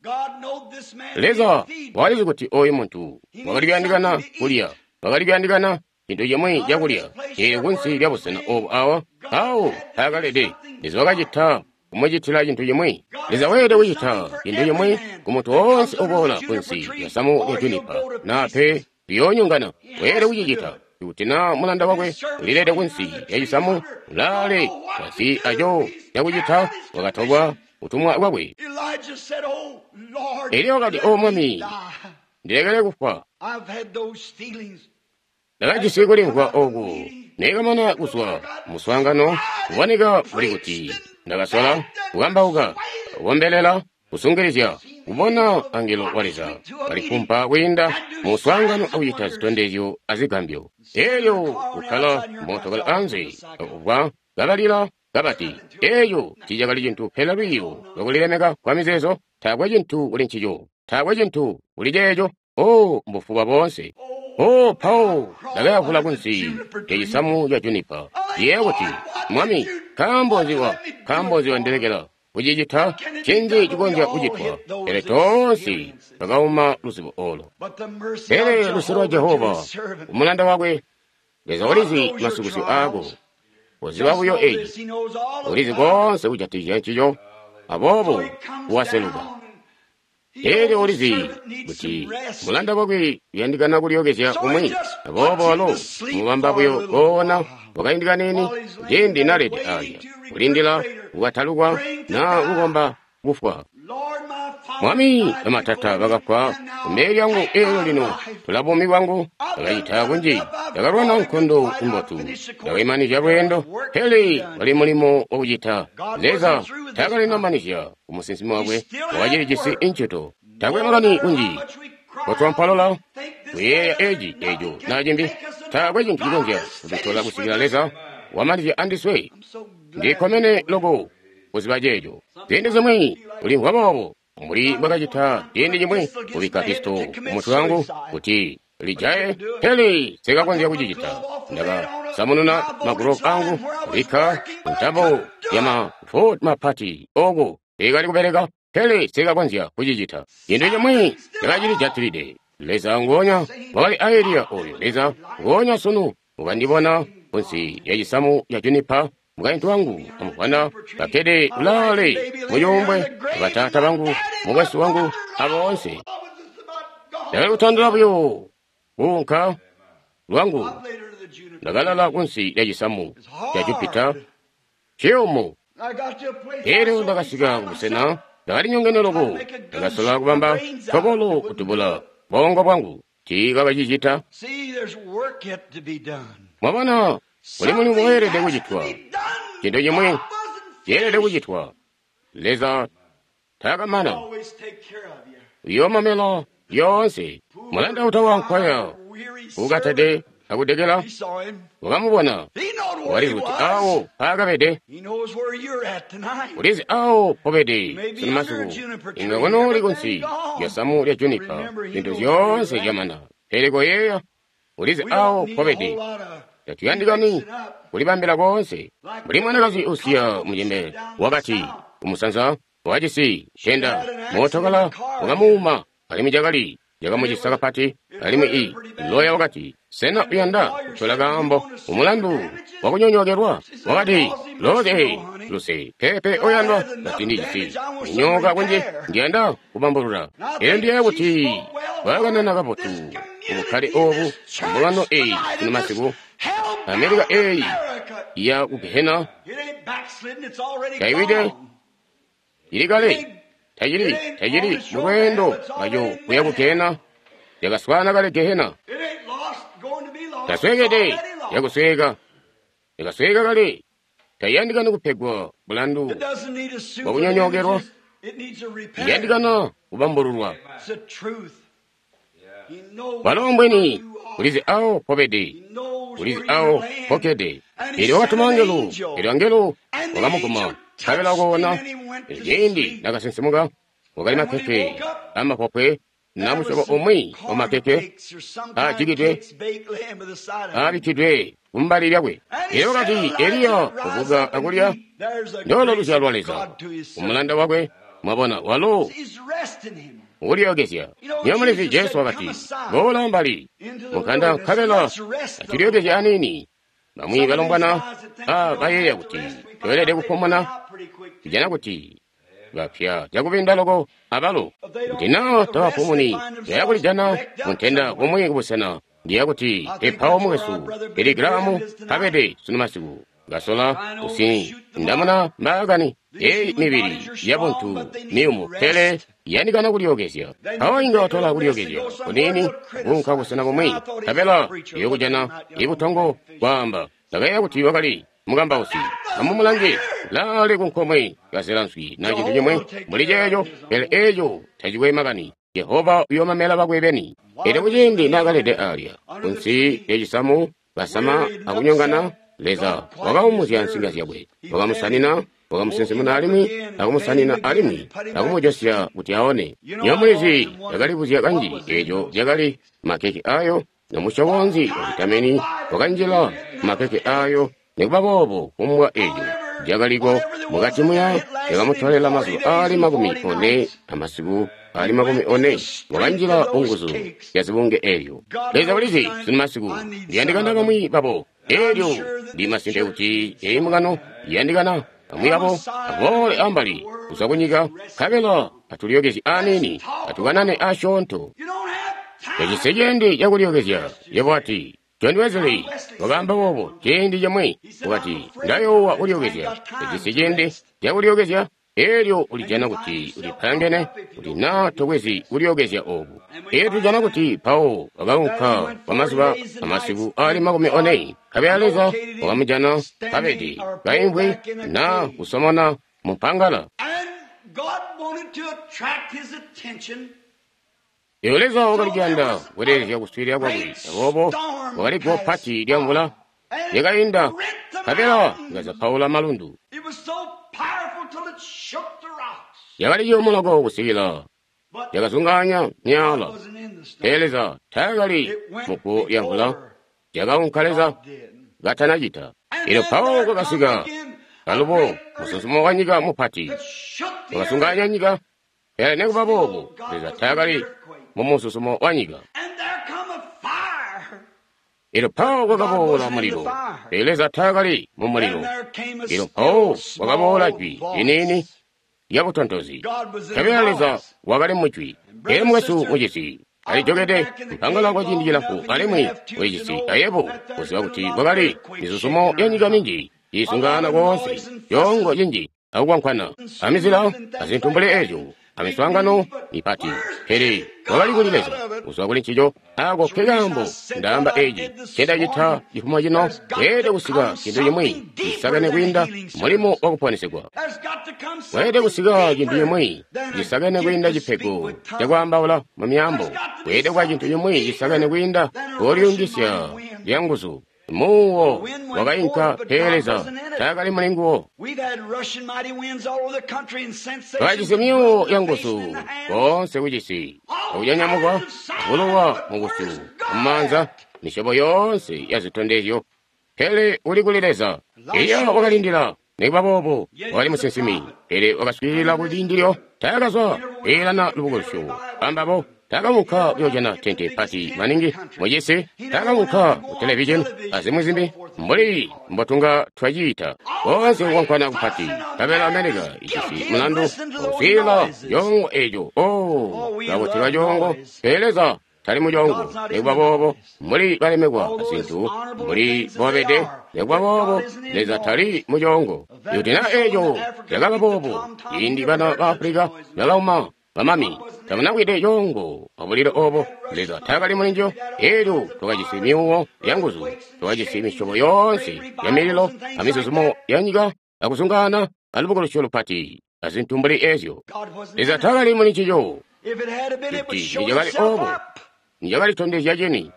Leza wakalizi kuti oyu muntu wakali kuyandikana kulya, wakali kuyandikana cintu cimwi cakulya. Eelyo kunsi lya busena obu awa, awo mpaakalede, Leza wakacita kumucitila cintu cimwi. Leza weelede kucita cintu cimwi ku muntu woonse uboola kunsi lya samu lya junipa, naa pe liyoonyongana. Weelede kucicita. Kuti naa mulanda wakwe ulilede kunsi lya cisamu, ulaale tazi aco cakucita, wakatolwa kutumwa kwakwe. Eliya wakati, O Mwami, ndilekele kufwa. Ndakajisi kulimvwa oku nekamana kuzwa muswaangano, kuboneka mbuli kuti ndakasola kukambauka, kukombelela, kusungilizya, kubona angelo wa Leza kalifumpa kwiinda muswaangano akucita zitondezyo azigambyo. Eelyo kukkala mootokala anze akubwa kabalila kabati, eeyo tiicakali cintu pele lwiiyo lwakulilemeka kwa mizeezo. Taakwe cintu kuli ncico, taakwe cintu kuli ceeco. O mbufuba boonse. O Paul, ndakayavula kunsi lya cisamu ca junipa. Yeeya kuti, Mwami, nkaambo nzi wa nkaambo nzi wandilekela kucicita? Ncinzi cikonzya kucitwa? Pele toonse twakauma luzibo olo. Pele luse lwa Jehova kumulanda wakwe, Leza ulizi masukusyo aako. Uziba buyo eci, ulizi konse kujatikizya ncico, aboobo waseluka. Eelyo ulizi kuti mulanda wakwe uyandikana kulyookezya kumwi, aboobo walo mubamba buyo koona kwakaindi kaniini ciindi nalede alya, kulindila kukatalukwa naa kukomba kufwa. Mwami, bamatata bakafwa kumbele lyangu, eelyo lino tula buumi bwangu. Ndakacita kunji, ndakalwana nkondo imbotu, ndakaimanizya lweendo, pele wali mulimo wakucita. Leza taakalinamanizya kumusinsimi wakwe, wakacilijisi incito. Taakwe makani kunji kotwampalola kuyeeya eci eco naa cimbi, taakwe cintu cikonzya kututola kusikila Leza wamanizya andiswe. Ndikkomene loko kuziba ceeco. Ziindi zimwi ulimvwa boobo, mbuli bwakacita ciindi cimwi kubikka pisto kumutwe wangu kuti lijaye, pele sikakonzya kucicita. Ndakasamununa magulovu angu, kubikka ntambo ya mavoti mapati oko ikali kubeleka, pele sikakonzya kucicita. Cintu cimwi cakacilijatilide. Leza nguonya wakali a Eliya oyo Leza nguonya sunu ukandibona kunsi lya cisamu ca junipa, mukaintu wangu amuvwana bakkede kulaale mucuumbwe, bataata bangu, mukwesu wangu, aboonse. Ndakali kutandila buyo kuunka lwangu, ndakalala kunsi lya cisamu ca Jupita ciyumu. Eelyo ndakasika kubusena, ndakali nyongene loko, ndakasola kubamba tobolo kutubula bongo bwangu, tiikakacicita. Mwabona, kuli mulimo weelede kucitwa, cintu cimwi ceelede kucitwa. Leza taakamana, uyoomamela lyoonse. Mulanda utawa nkwaya ukatede akudekela wakamubona, walizi kuti awo paakabede, ulizi awo pobede sunu masiku. Inga kunooli kunsi lya samu lya junipa, zintu zyoonse zyamana, pele koyeeya, ulizi awo pobede. Tatuyandikani kulibambila koonse. Mbuli mwanakazi usiya mucembele wakati kumusanza wajisi tenda, mootokala wakamuuma, alimwi cakali cakamucisa kapati. Alimwi i loya wakati, sena uyanda kutola kaambo umulandu wakunyonyokelwa? Wakati, loze luse pepe oyandwa, kati ndijisi kunyoka kunji, ndiyanda kubambulula. Elyo ndiyeeya kuti bwakanana kabotu ubukkale obu mbungano eyi kuno masiku, Amerika eyi ya ku gehena It ain't backslidden, it's already Kaiwide. gone. ili kale It ain't Tacili, tacili mu lweendo lwaco kuya ku gehena. Yakaswaana kale gehena. Tasweekede, yakusweeka. Yakasweeka kale. Tayandikana kupegwa mulandu wakunyonyookelwa. Iyandikana kubambululwa. Walo mbweni ulizi awo pobede, ulizi awo pokede. Elyo wakatuma angelo, elyo angelo wakamuguma, nkabela wakoona. Elyo ciindi nakasinsimuka, wakali makekke amapopwe na musyobo umwi wamakeke aajikidwe aabikkidwe kumbali lyakwe. Elyo wakati, Eliya, kubuka akulya. Ndolo luzyalo lwa Leza umulanda wakwe. Mwabona, walo ukulyokezya. Niyo mulizi Jesu wakati, boola ambali mukanda nkabela acilyokezya aniini. Bamwi balombwana a bayeeya kuti toelede kupumuna, tujana kuti bapya cakubinda loko abalo. Kuti naa tabapumuni, baya kulijana muntenda kumwi kubusena. Ndiya kuti epawo mukwesu Billy Graham kabede sunu masiku ngasola kusi ndamuna mbaakani eyi mibili yabuntu miyumu pele iyandikana kulyokezya. Awo inga watola kulyokezya kuniini kuunka busena bumwi, nkabela iyokujana ibutongo kwaamba ndakayeeya kuti wakali mukambausi. Amumulange laale kunkomwe kazela nswi na cintu cimwi mbuli ceeco, pele eeco tacikwe makani. Jehova uyoomamela bakwe beni. Elyo kuciindi naakalede alya kunsi lyacisamu basama akunyongana, Leza wakaumuzya nsinga zyakwe, wakamusanina, wakamusinsimuna alimwi akumusanina alimwi akumujosya kuti aone. Nyomulizi yakalibuzya kanji eeco zyakali makeke ayo, nomusyobo nzi wa vitamini wakanjila makeke ayo. Nikuba boobo kumbwa eeco zyakaliko mukati muya yakamutolela mazuba aali makumi one amasiku aali makumi one, wakanjila unguzu ya zibunge eeyo. Leza ulizi sunu masiku ndiyandikana bamwi babo. Elyo ndi masimpe kuti eyi mbungano iyandikana bamwi babo aboole ambali kuzwa kunyika, nkabela atulyokezye aniini, atukanane asyoonto. Tacisi ciindi cakulyokezya. Yebo ati, John Wesley wakaamba boobo ciindi cimwi, wakati, ndayoowa kulyokezya. Tacisi ciindi cakulyokezya. Elyo ulijana kuti ulipangene kuti naa tokwezi kulyokezya obu. Elyo tujana kuti Paulo wakaunka kwa mazuba amasiku aali makumi one, nkabela Leza wakamujana kabede kaimvwi na kusomona mumpangala. Elyo Leza wakali kuyanda kutelezya kuswiilila kwakwe, aboobo wakali guwo pati lya mvula lyakainda, nkabela likazapaula malundu. Yakali ciyumu loko kusikila yakazungaanya myaala. Pele Leza taakali muguwo lya mvula, lyakaunka Leza katanacita. Elyo Paulo kwakasika alubo musunzumo wa nyika mupati wakazungaanya nyika, pele nikuba boobo Leza taakali mumususumo wa nyika. Elyo Paulo kwakaboola mulilo, pele Leza taakali mu mulilo. Elyo Paulo kwakaboola jwi liniini lyabutontozi, nkabela Leza wakali mujwi. Elyo mukwesu mucisi alijokede mpangala kwa ciindi cilamfu, alimwi ulicisi ayebo kuziba kuti kwakali mizuzumo ya nyika minji iisungana koonse, coongo cinji akukwankwana amizila azintu mbuli eezyo amiswaangano mipati, pele wakali kuli Leza kuzwa kuli ncico. Ako ke kaambo ndaamba eci ncendacita cifumo cino. Weelede kusika cintu cimwi cisakene kwiinda mulimo wakuponesegwa. Weelede kusika cintu cimwi cisakene kwiinda cipego cakwaambaula mu myaambo. Weelede kuba cintu cimwi cisakene kwiinda kolyungisya lyanguzu. Muuwo wakainka, pele Leza taakali muli nguwo. Twakajisi myuuwo yanguzu koonse kucisi, akunyanyamukwa, bulowa mubusyu, mumaanza, misyobo yoonse ya zitondezyo. Pele uli kuli Leza. Eliya wakalindila. Nikuba boobo wakali musinsimi, pele wakaswiilila kuli ndilyo. Taakazwa kweelana lubukulusyo ambabo. Taakaunka kuyoojana tente pati maningi mucisi, taakaunka ku televizheni azimwi zimbi mbuli mbotunga twaciita. Koonse kukwankwana kupati, nkabela Amerika ijisi mulandu wakuswiilila coongo eco. Oh, kakutilwa coongo, pele Leza tali mucoongo. Nikuba boobo, mbuli balemekwa azintu, mbuli bobede, nikuba boobo, Leza tali mucoongo. Ikuti na eco cakaba boobo, ciindi bana ba Afulika bakauma bamami, tamunakwide coongo abulilo obo, Leza taakali mulinjo. Elyo twakajisi myuuwo yanguzu, twakajisi misyobo yoonse ya mililo amizuzumo ya nyika akuzungaana alubukulusyo lupati azintu mbuli ezyo. Leza taakali muli ncico. Kuti nicakali obo, nicakalitondezya cini.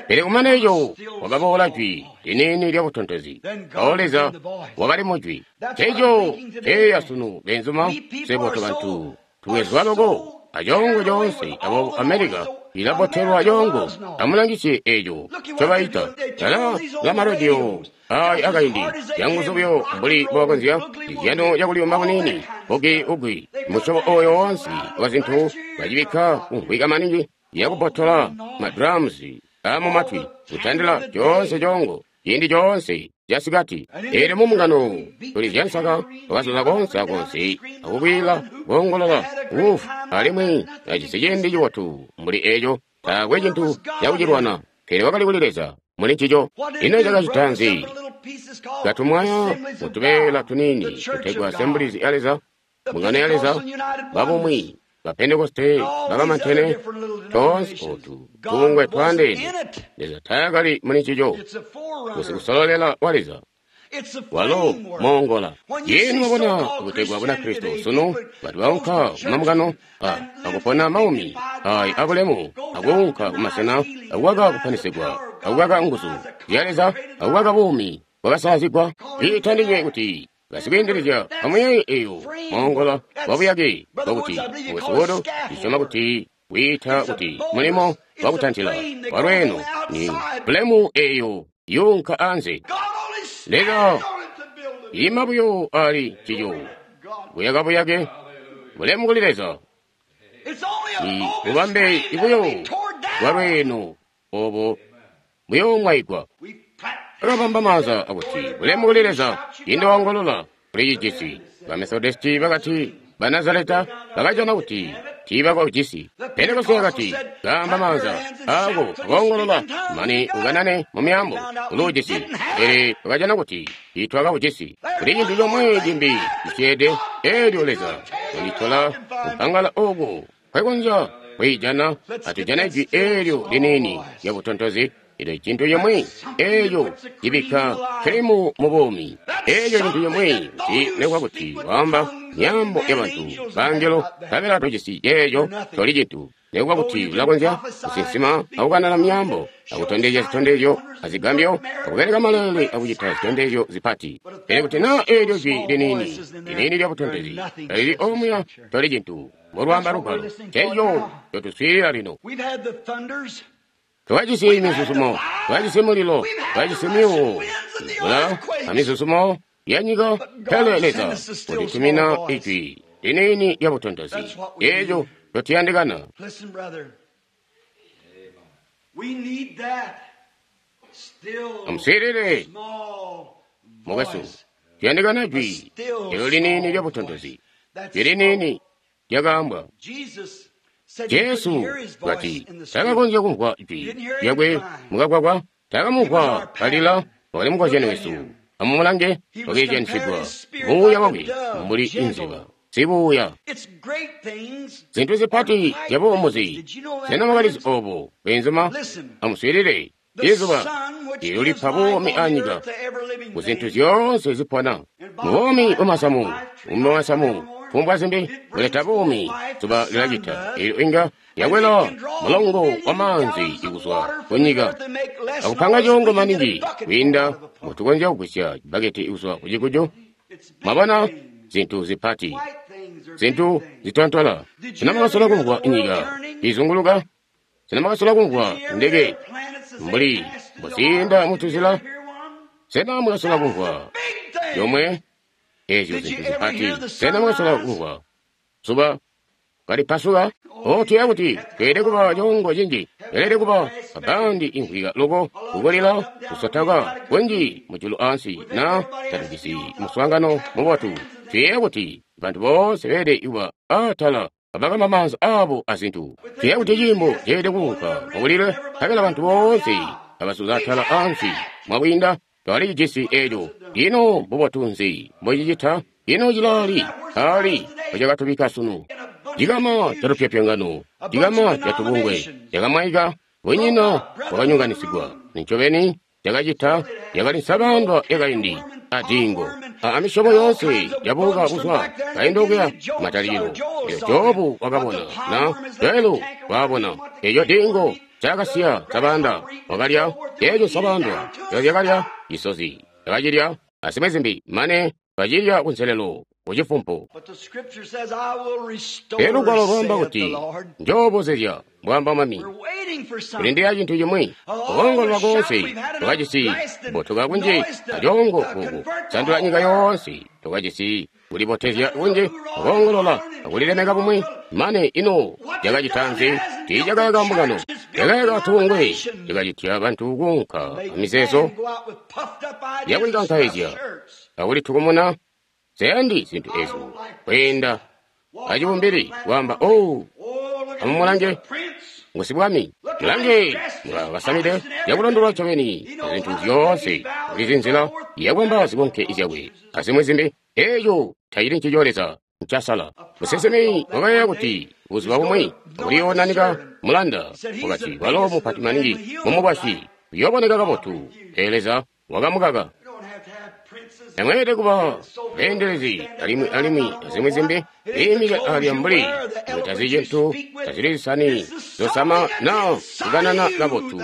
Pele kumane eco wakaboola jwi liniini lya butontozi. Mpawo Leza wakali mujwi. Eco eya sunu benzuma, swebo tobantu tuwezwa loko acoongo coonse, aboobo Amerika ilabotelwa coongo. Amulangisye eco ncobaita tala la marediyo ayi akaindi yanguzu buyo mbuli mbobakonzya izyano cakuliyumba kuniini bugi ugwi musyobo oyo wonse wa zintu bacibikka kumvwika maningi yakubotola madrums amumatwi kutandila coonse coongo ciindi coonse casikati. Eelyo mumungano tuli zyansaka twakazuza konse akonse akukwiila koongolola wufu, alimwi ajisi ciindi cibotu mbuli eco. Taakwe cintu cakucilwana, pele wakali kuli Leza muli ncico. Ino cakacita nzi? Katumwaya mutubeela tuniini tutegwa Assemblies ya Leza, mbungano ya Leza, babumwi, ba Pentekoste, bakamantene, toonse otu tubungwe twaandeene. Leza taakali muli ncico. Kusololela wa Leza walo moongola. Yenu mwabona kutegwa Bunakristo sunu bantu baunka kumamungano akupona maumi ayi abulemu, akuunka kumasena akukaka kupanisigwa, akukaka nguzu zya Leza, akukaka buumi bwakasalazigwa. Iitandinywe kuti basikweendelezya amuyeeye eyo moongola wabuyake bwakuti mukwesu ndisyoma kuti wiita kuti mulimo wakutantila walweeno ni bulemu eyo yunka anze. Leza ima buyo ali cico buyaka buyake bulemu kuli Leza ni bubambe ibuyo bwalweeno obo buyoomwayigwa. Akabamba maanza akuti bulemu kuli Leza ciindi wongolola kuli cijisi. Bamethodisti bakati, Banazareta bakajana kuti tiibakajisi. Pentekoste yakati, gamba maanza ako akoongolola mane ukanane mu myaambo uluujisi. Pele bakajana kuti tiitwakawujisi. Kuli cintu comwe cimbi cisyeede, eelyo Leza wanditola kumpangala oku nkwekonzya kwiijana atujane jwi eelyo liniini lya butontozi. Ilo cintu cimwi eeco cibikka kilimu mu buumi. Eeco cintu cimwi kuti lekwa kuti waamba myaambo ya bantu bangelo nkabela tojisi ceeco toli cintu. Lekwa kuti ulakonzya kusinsima akukanana myaambo akutondezya zitondezyo azigambyo akubeleka maleele akucita zitondezyo zipati. Pele kuti naa eelyo jwi liniini liniini lya butontozi talili omuya toli cintu. Mbolwaamba Lugwalo, ceeco ncotuswiilila lino. Twajisi mizuzumo, twajisi mulilo, twajisi myuuwo, mvula amizuzumo ya nyika, pele Leza ulitumina ijwi liniini lya butontozi. Eeco ncotuyandikana. Amuswiilile, mukwesu, tuyandikana jwi elo liniini lya butontozi, jwi liniini lyakaambwa. Jesu kati takakonzya kumvwa jwi lyakwe mukagwagwa, takamumvwa kalila wakali mukozyani wesu. Amumulange wakeezyanyisigwa muuya wakwe mbuli inziba sibuuya. Zintu zipati zyabuumuzi. Sena mwakalizi obo beenzuma? Amuswiilile, izuba eelyo lipa buumi anyika ku zintu zyoonse zipona. Mubuumi bwamasamu, buumi bwamasamu fumbwa zimbi buleta buumi zuba lilacita eelyo inga yakwela mulongo wa maanzi ikuzwa kunyika akupanga coongo maningi kwiinda mbutukonzya kugwisya cibbaketi ikuzwa kucikuju. Mwabona zintu zipati, zintu zitontola. Sena mwakasola kumvwa nyika izunguluka? Sena mwakasola kumvwa ndeke mbuli mbuziinda mutuzila? Sena mwakasola kumvwa yomwe ezyo zintu zipati? Sena mwakasola kumvwa zuba kalipasuka? Otuya kuti tweelede kuba coongo cinji, tweelede kuba abandi imvwika loko, kukulila, kusotaka kunji mujulu ansi, na tatujisi muswaangano mubotu. Tuyeeya kuti bantu boonse beelede kuba atala Kabakamba maanza abo azintu. Tuyeeya kuti ciimbo ceelede kuunka mukulile, nkabela bantu boonse kabasuza atala ansi. Mwakwiinda twali cijisi eco. Ino mbubotu nzi mbocicita? Ino cilali ali ecakatubika sunu? Cikama catupyopyongano, cikama catubungwe, cakamwaika, bunyina bwakanyonganisigwa. Nincobeni cakacita yakali nsabandwa yakaindi adiingo amisyobo yoonse yabuka kuzwa kaindi okuya matalikilo. Elyo Jobu wakabona na Joelu waabona eco diingo cakasiya nsabanda wakalya eco nsabandwa zyakalya isozi yakacilya azimwi zimbi mane kacilya kunselelo kucifumpu. But the scripture says, I will restore, Elyo lugwalo lwaamba saith kuti the Lord. njoobozezya mbwaamba Mwami. We're waiting for something. Kulindila cintu chimwi kuongolola konse tukajisi mbotuka kunji acongo kuku sandula nyika yonse tukajisi kulibotezya kunji kuongolola akulilemeka bumwi mane ino cakacita nzi tiicakayaka mbungano cakayaka tubungwe cakacitya bantu kuunka amizeezo Man go out with puffed up ideas and yakulikankaizya stuffed shirts. akulitukumuna zayandi zintu ezo kweenda acibumbili kwaamba oh Oh, look at amumulange the prince. ngusibwami mulange mwakasamide yakulondolwa ncobeni zintu zyoonse kulizi nzila yakwamba zikonke zyakwe azimwi zimbi eeyo tayili ncico Leza ncasala. Musinsimi wakayeeya kuti buzuba bumwi kuliyoonanika mulanda wakati walo mupati maningi mumukwasyi uyooboneka kabotu, pele Leza wakamukaka. We don't have to have princes. Tamweelede kuba beendelezi alimwi alimwi azimwi zimbi liimika alya mbuli tazi cintu tazili zisani zosama na kukanana kabotu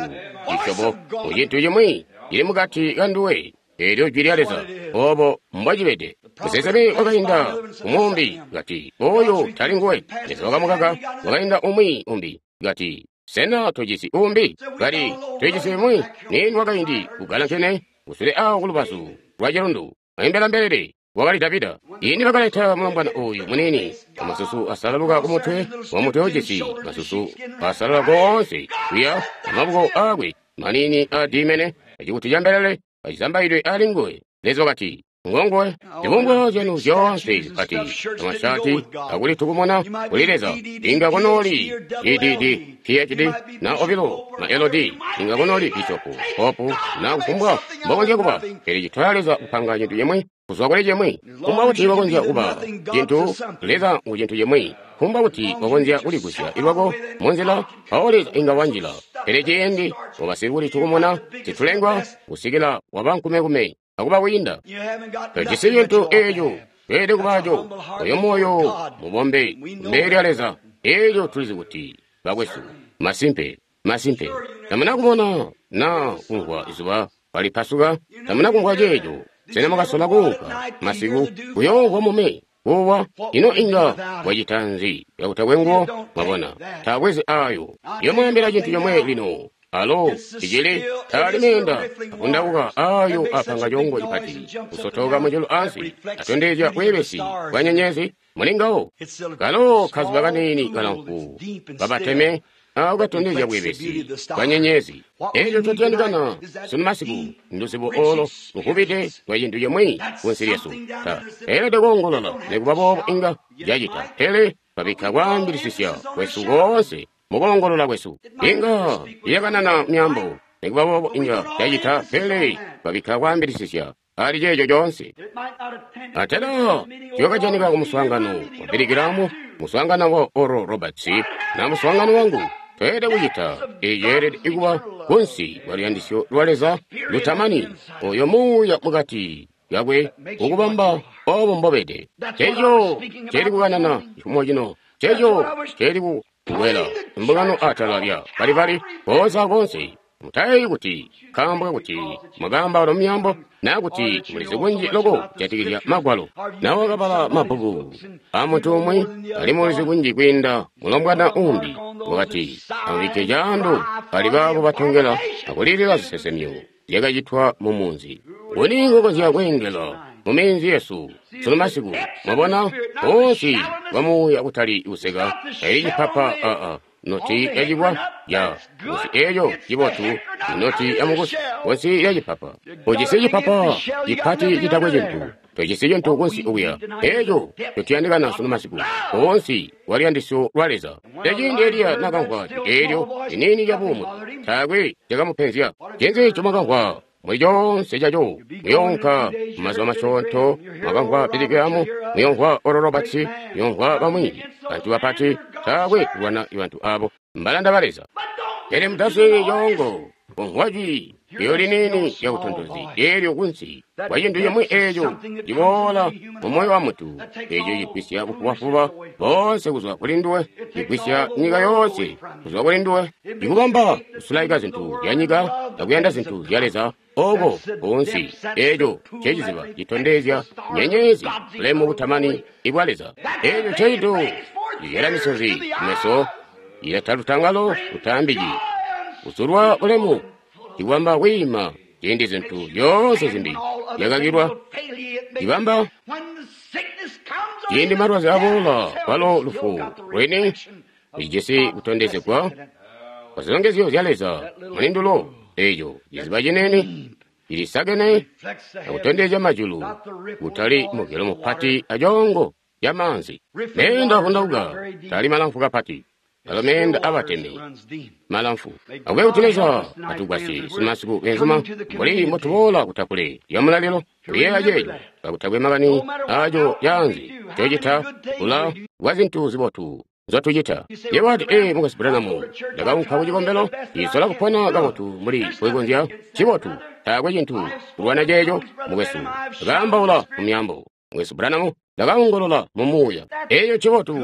cisyobo mu cintu cimwi cili mukati kanduwe eelyo jwi lya Leza obo mbwacibede. Musinsimi wakainda kumuumbi kati oyo tali nguwe. Leza wakamukaka. Wakainda umwi umbi kati sena tojisi umbi? Kati tojisi umwi nini wakaindi kugalankene kusule awo kulubazu lwa cilundu aimbela mbelele wakali Davida. Ini bakaleta mulombwana uyu munini amasusu asalaluka kumutwe wamutwe ujisi masusu asalala konse kuya amaboko akwe manini adimene acikuti ca mbelele acizambaidwe ali nguwe. Leza wakati ngongowe zibungwe zyanu zyoonse zipati amashati akulitukumuna kuli Leza inga kunoli D D D P H D na obilo na L D inga kunoli bishopu popu na kufumbwa mbokonzya kuba pele citola Leza kupanga cintu cimwi kuzwa kuli cimwi. Kufumbwa kuti wakonzya kuba cintu Leza ngu cintu cimwi. Kufumbwa kuti wakonzya kuligusya ilwako munzila mpawo Leza inga wanjila. Pele ciindi wabasikulitukumuna zitulengwa kusikila waba nkumekume akuba kwiinda You haven't got tojisi nothing that cintu you ought to eeco have. tweelede kubaco oyo moyo mubombe mbele lya Leza. Eeco tulizi kuti bakwesu masimpe masimpe tamuna kubona na kumvwa izuba kalipasuka tamuna kumvwa ceeco. Sena mwakasola kuunka masiku kuyoomvwa mume kuwa? Ino inga wacita nzi yakutakwe nguwo? Mwabona taabwezi ayo yomwaambila cintu comwe lino alo icili taali meenda akundauka ayo apanga congo cipati kusotoka mujulu ansi atondezya bweebesi bwa nyenyezi mulingawo kalo kazuba kaniini kalamfu kabateme ako katondezya bweebesi bwa nyenyezi. Eco cotuyandikana sunu masiku nduzibo olo lukubide lwa cintu cimwi kunsi lyesu. Ta eelede koongolola nikuba boobo inga cacita, pele twabikka kwaambilisisya kwesu koonse mukoongolola kwesu. Inga iyakanana myambo nikuba boobo inga cacita, pele twabikka kwaambilisisya ali ceeco coonse. It might not attend Atera ciyakajanika ku muswaangano wa Billy Graham, muswaangano wa Oral Roberts, na muswaangano wangu. Tweelede kucita eeci yeelede kuba kunsi lwa luyandisyo lwa Leza lutamani oyo muuya mukati kakwe ukubamba obo mbobede. Ceeco ceeli kukanana cifumo cino, ceeco ceeli kukwela mbungano atala lya balibali booza konse. Mutayeeyi kuti nkaambo kakuti mwakaambaula mumyaambo naa kuti mulizi kunji loko kujatikizya Magwalo. Na wakabala mabbuku aamuntu umwi alimwi ulizi kunji kwiinda mulombwana uumbi. Wakati amubikke caando pali baabo batongela akulilila zisesemyo zyakacitwa mumunzi. Nguni ngokonzya kweengela muminzi yesu sunu masiku? Mwabona kunsi kwa muuya kutali kuseka taili cipapa aa noti yacibwa ya musi eeyo cibotu inoti yamukusi kunsi ya cipapa. Ujisi cipapa cipati citakwe cintu Tojisi cintu kunsi okuya. Eco tutuyandikana sunu masiku. Koonsi kwa luyandisyo lwa Leza. Eciindi Eliya nakamvwa eelyo liniini lya buumu, taakwe cakamupenzya. Ncinzi comwakamvwa muli coonse caco? Muyoonka mumazuba masyoonto, mwakamvwa Billy Graham, muyomvwa Oral Roberts, muyomvwa bamwi bantu bapati. Taakwe kulwana bantu abo, mbalanda ba Leza. Pele mutaswiilili coongo kumvwa jwi eyo liniini lya butontozi eelyo kunsi kwa cintu cimwi eeco ciboola mu moyo wa muntu, eeco cigwisya bufubafuba boonse kuzwa kuli nduwe, cigwisya nyika yoonse kuzwa kuli nduwe, cikubamba kusulaika zintu zya nyika akuyanda zintu zya Leza. Oko kunsi eeco nceciziba citondezya nyenyezi bulemu butamani ibwa Leza. Eeco ncecintu cizyala misozi kumeso, cileta lutangalo lutaambiki, kuzulwa bulemu, cikubamba kwiima ciindi zintu zyoonse zimbi zyakakilwa, cibamba ciindi malwazi aboola kwalo lufu lwini lijisi kutondezegwa kwa zilongezyo zya Leza mulindulo. Eeco ciziba cinene cilisakene akutondezya majulu, kutali mugelo mupati acongo ca maanzi. Meenda avundauka tali malamfu kapati, alo meenda abateme malamfu. Akube kuti Leza atugwasye simasiku benzuma mbuli mbotuboola kutakule lya mulalilo kuyeeya ceeco kakutakwe makani aco caanze cocita kula kwa zintu zibotu nzotucita. Yebo wati, ee, Mukwesu Branham, ndakaunka ku cikombelo, ndisola kupona kabotu mbuli mbwekonzya. Ncibotu, taakwe cintu kulwana ceeco, mukwesu. Ndakaambaula mu myaambo. Mukwesu Branham, ndakaongolola mu muuya. Eeco ncibotu,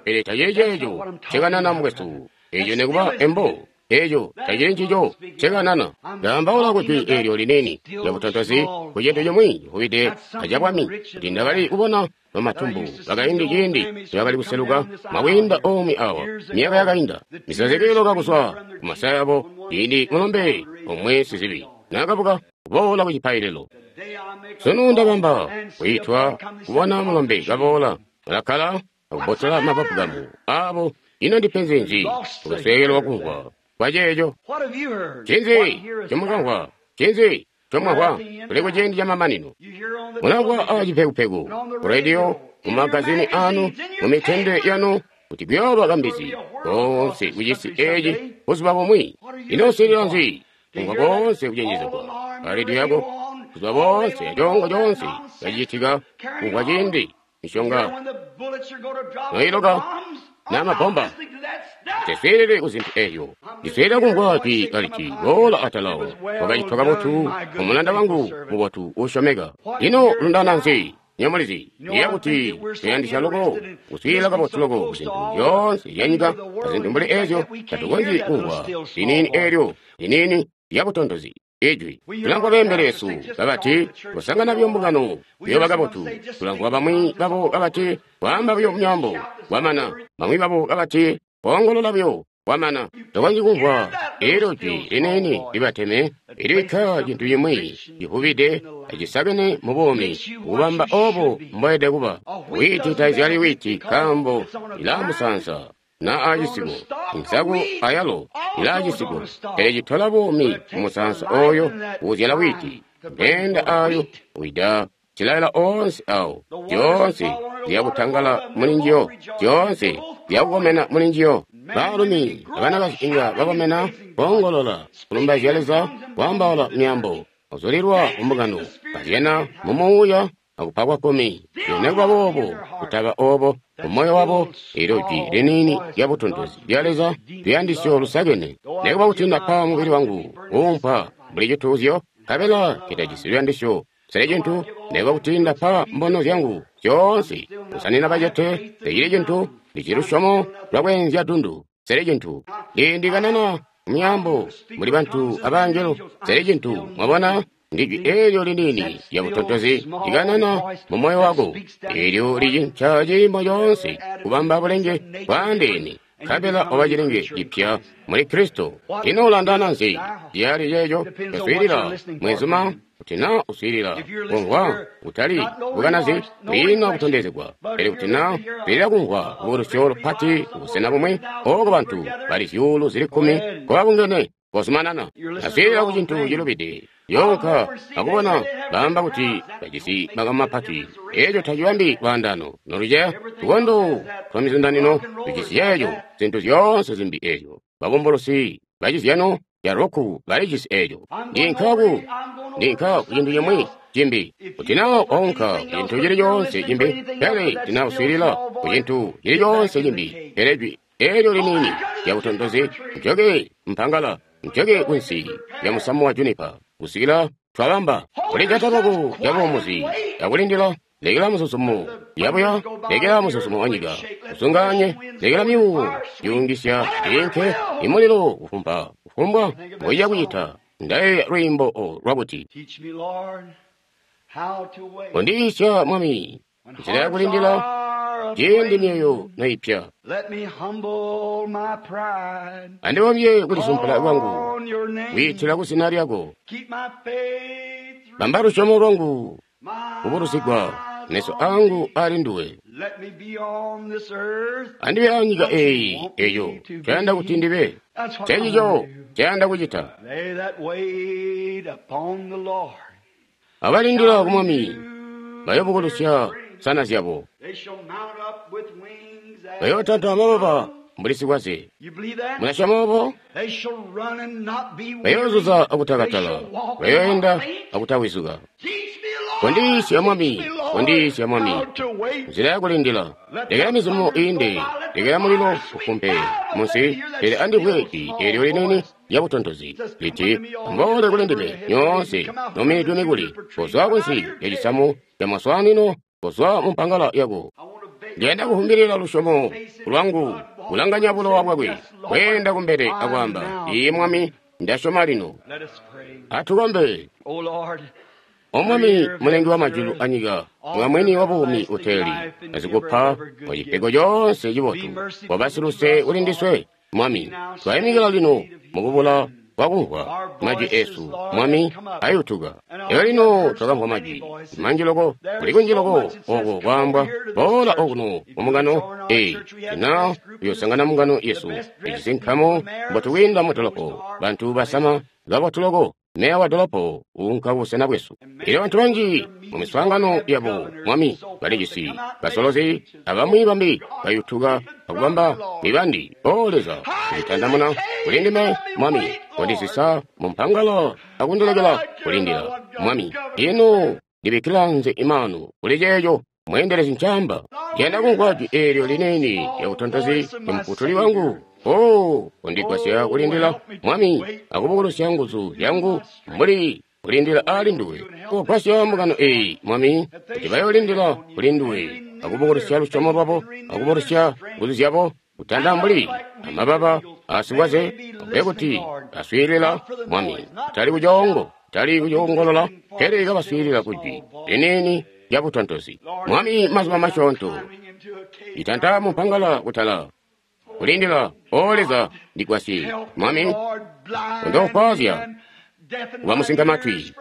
pele tacili ceeco ncekanana, mukwesu. Eeco nekuba embo. Eeco tacili ncico ncekanana. Ndaambaula kuti eelyo liniini lya butontozi ku cintu cimwi civubide acabwami, kuti ndakali kubona bamatumbu bakaindi ciindi nibakali kuseluka mwakwiinda omwe awa myaka yakainda, misozi kiiloka kuzwa ku masaya abo ciindi mulombe omwe sizibi naakabuka kuboola ku cipaililo. Sunu ndabamba kwiitwa kubona mulombe kaboola, balakkala akubotola mapapukamu abo. Ino ndipenzi nzi ukusweekelwa kumvwa kwa ceeco? Ncinzi comukamvwa? Ncinzi comwamvwa? Tuli ku ciindi camamanino. Mulamvwa acipekupeku, ku rediyo, mu magazini anu, mu mitende yanu, kuti kuyooba kambizi koonse kucisi eci buzuba bumwi. Ino uswiilila nzi? Kumvwa koonse kucenjezegwa a rediyo yako, buzuba boonse acongo coonse kacicitika, kumvwa ciindi misyonga noiloka na mabomba. Tiswiilile ku zintu eezyo. Ndiswiilila kumvwa jwi kaliti, boola atalawo, wakacitwa kabotu omulanda wangu mubotu uusyomeka. Ino lundana nzi? Nyamulizi ndiye kuti tuyandisya loko kuswiilila kabotu loko ku zintu zyoonse zyanyika azintu mbuli eezyo, tatukonzyi kumvwa liniini eelyo liniini lya butontozi ijwi. Tulamvwa beembelesu kabati kusangana buyo mbungano kuyoba kabotu. Tulamvwa bamwi babo kabati kwaamba buyo myaambo kwamana. Bamwi babo kabati koongolola buyo kwamana. Tokonzyi kumvwa eelyo jwi liniini libateme ilibikka cintu cimwi civubide acisakene mu buumi, kubamba obo mboyede kuba. Wiiti tazyali wiiti nkaambo ilaa musaansa na aacisiko, insaku ayalo ilaa cisiko, pele citola buumi mu musaansa oyo uuzyala wiiti. Meenda aayo wida cilaila oonse awo, zyoonse ziyakutangala muli njiyo, zyoonse ziyakukomena muli njiyo. Baalumi abanakazi inga bakomena, boongolola, kulumbaizya Leza, kwaambaula myaambo, kuzulilwa kumbungano, bazyana mu muuya akupa kwa kkumi. Nekuba boobo kutaba obo mumoyo wabo, eelyo jwi liniini lya butontozi lya Leza luyandisyo lusakene. Nekuba kuti ndapa mubili wangu kuumpa mbuli cituuzyo, nkabela citajisi luyandisyo, sele cintu. Nekuba kuti ndapa mbono zyangu zyoonse kusanina bacete, tecili cintu. Ndicili lusyomo lwakweenzya dundu, sele cintu. Ndikanana myaambo muli bantu abangelo, sele cintu. Mwabona? Ndijwi eelyo liniini lya butontozi likanana mu moyo wako, eelyo licinca ciimo coonse kubamba bulenge bwaandeene, nkabela oba cilenge cipya muli Kristo. Ino ulandana nzi? Ciyali ceeco caswiilila mwenzuma, kuti na uswiilila kumvwa kutali bukanazi, kwiina kutondezegwa, pele kuti na uswiilila kumvwa kubulusyo lupati kubusena bumwi, ooko bantu bali zyuulu zili kkumi nkobabungene, kozumanana. Aswiilila ku cintu cilubide. Yoonka akubona baamba kuti bajisi makamu mapati. Eeco tacibambi lwaandaano noluceya. Tukondo twa mizundanino tujisi ceeco, zintu zyoonse zimbi eezyo. Babumbulusi bacizyano ca roku balijisi eeco. Ndinka ndinka ku cintu cimwi cimbi. Kuti naa waunka ku cintu cili coonse cimbi, pele tinauswiilila ku cintu cili coonse cimbi, pele jwi eelyo liniini lya butontozi, njoke mpangala, njoke kunsi lya musamu wa junipa, kusikila twabamba kulijata lwako lyabuumuzi akulindila. Lekela muzuzumo yabuya, lekela muzuzumo wa nyika usunganye, lekela myuuwo yungisya inke imulilo kufumpa kufumbwa mboiya kucita. Ndayeeya lwiimbo lwakuti kondiyiisya Mwami nzila yakulindila ciindi myoyo noipya. Andibomye kulisumpula kwangu kwiitila kuzina lyako. Bamba lusyomo lwangu kubulusigwa, meso angu ali nduwe. Andibe anyika eyi eyo cayanda kuti ndibe, cencico cayanda kucita. Abalindila ku Mwami bayobukulusya nsana zyabo, bayootanta amababa mbuli sikwaze. Mulasyoma obo? Bayoozuza akutakatala, bayoenda akutawizuka. Kondiyiisya Mwami, kondiyiisya Mwami nzila yakulindila. Lekela mizumo iinde, lekela mulilo ufumpe munsi, pele andimvwe jwi eelyo liniini lya butontozi liti, "Amuboole kuli ndime nyoonse nomidwe mikuli, kozwa kunsi lya cisamu ca maswaanino, kozwa mu mpangala yako." Ndiyanda kuvumbilila lusyomo lwangu, kulanganya bulowa bwakwe, kweenda kumbele akwaamba, "Iye Mwami, ndasyoma lino." Atukombe. O Mwami, Mulengi wa majulu anyika, mwamwini wa buumi uteeli, azikupa kwa cipego coonse cibotu, wabasiluse kuli ndiswe. Mwami, twayimikila lino mukubula kwakumvwa majwi esu. Mwami, ayutuka. Elyo lino twakamvwa majwi manji loko, kuli kunji loko oko kwaambwa, "Boola okuno mumungano eyi, tina uyosangana mungano yesu, ijisi nkamu mbotu kwiinda mu dolopo, bantu basama kabotu loko, meya wa dolopo uunka kubusena bwesu." Elyo bantu banji mu miswaangano yabo, Mwami, balijisi basolozi abamwi bambi bayutuka akubamba mibandi. O Leza, kunditandamuna kuli ndime, Mwami, kondisisa mu mpangala akundilekela kulindila. Mwami, ino ndibikkila nze imanu kuli ceeco mweendelezi ncaamba. Ndiyanda kumvwa jwi eelyo liniini lya butontozi lya Mufutuli wangu. O, kondigwasya kulindila, Mwami, akubukulusya nguzu zyangu mbuli kulindila ali nduwe. Kugwasya mbungano eyi, Mwami, kuti bayoolindila kuli nduwe, akubukulusya lusyomo lwabo, akubukulusya nguzu zyabo, kutanda mbuli amababa asikwaze, akube kuti baswiilila, Mwami, kutali kucoongo, kutali kucoongolola, pele kabaswiilila kujwi liniini lya butontozi. Mwami, mazuba masyoonto itanta mumpangala kutala kulindila. O Leza, ndigwasye, Mwami, kundofwazya kuba musinkamatwi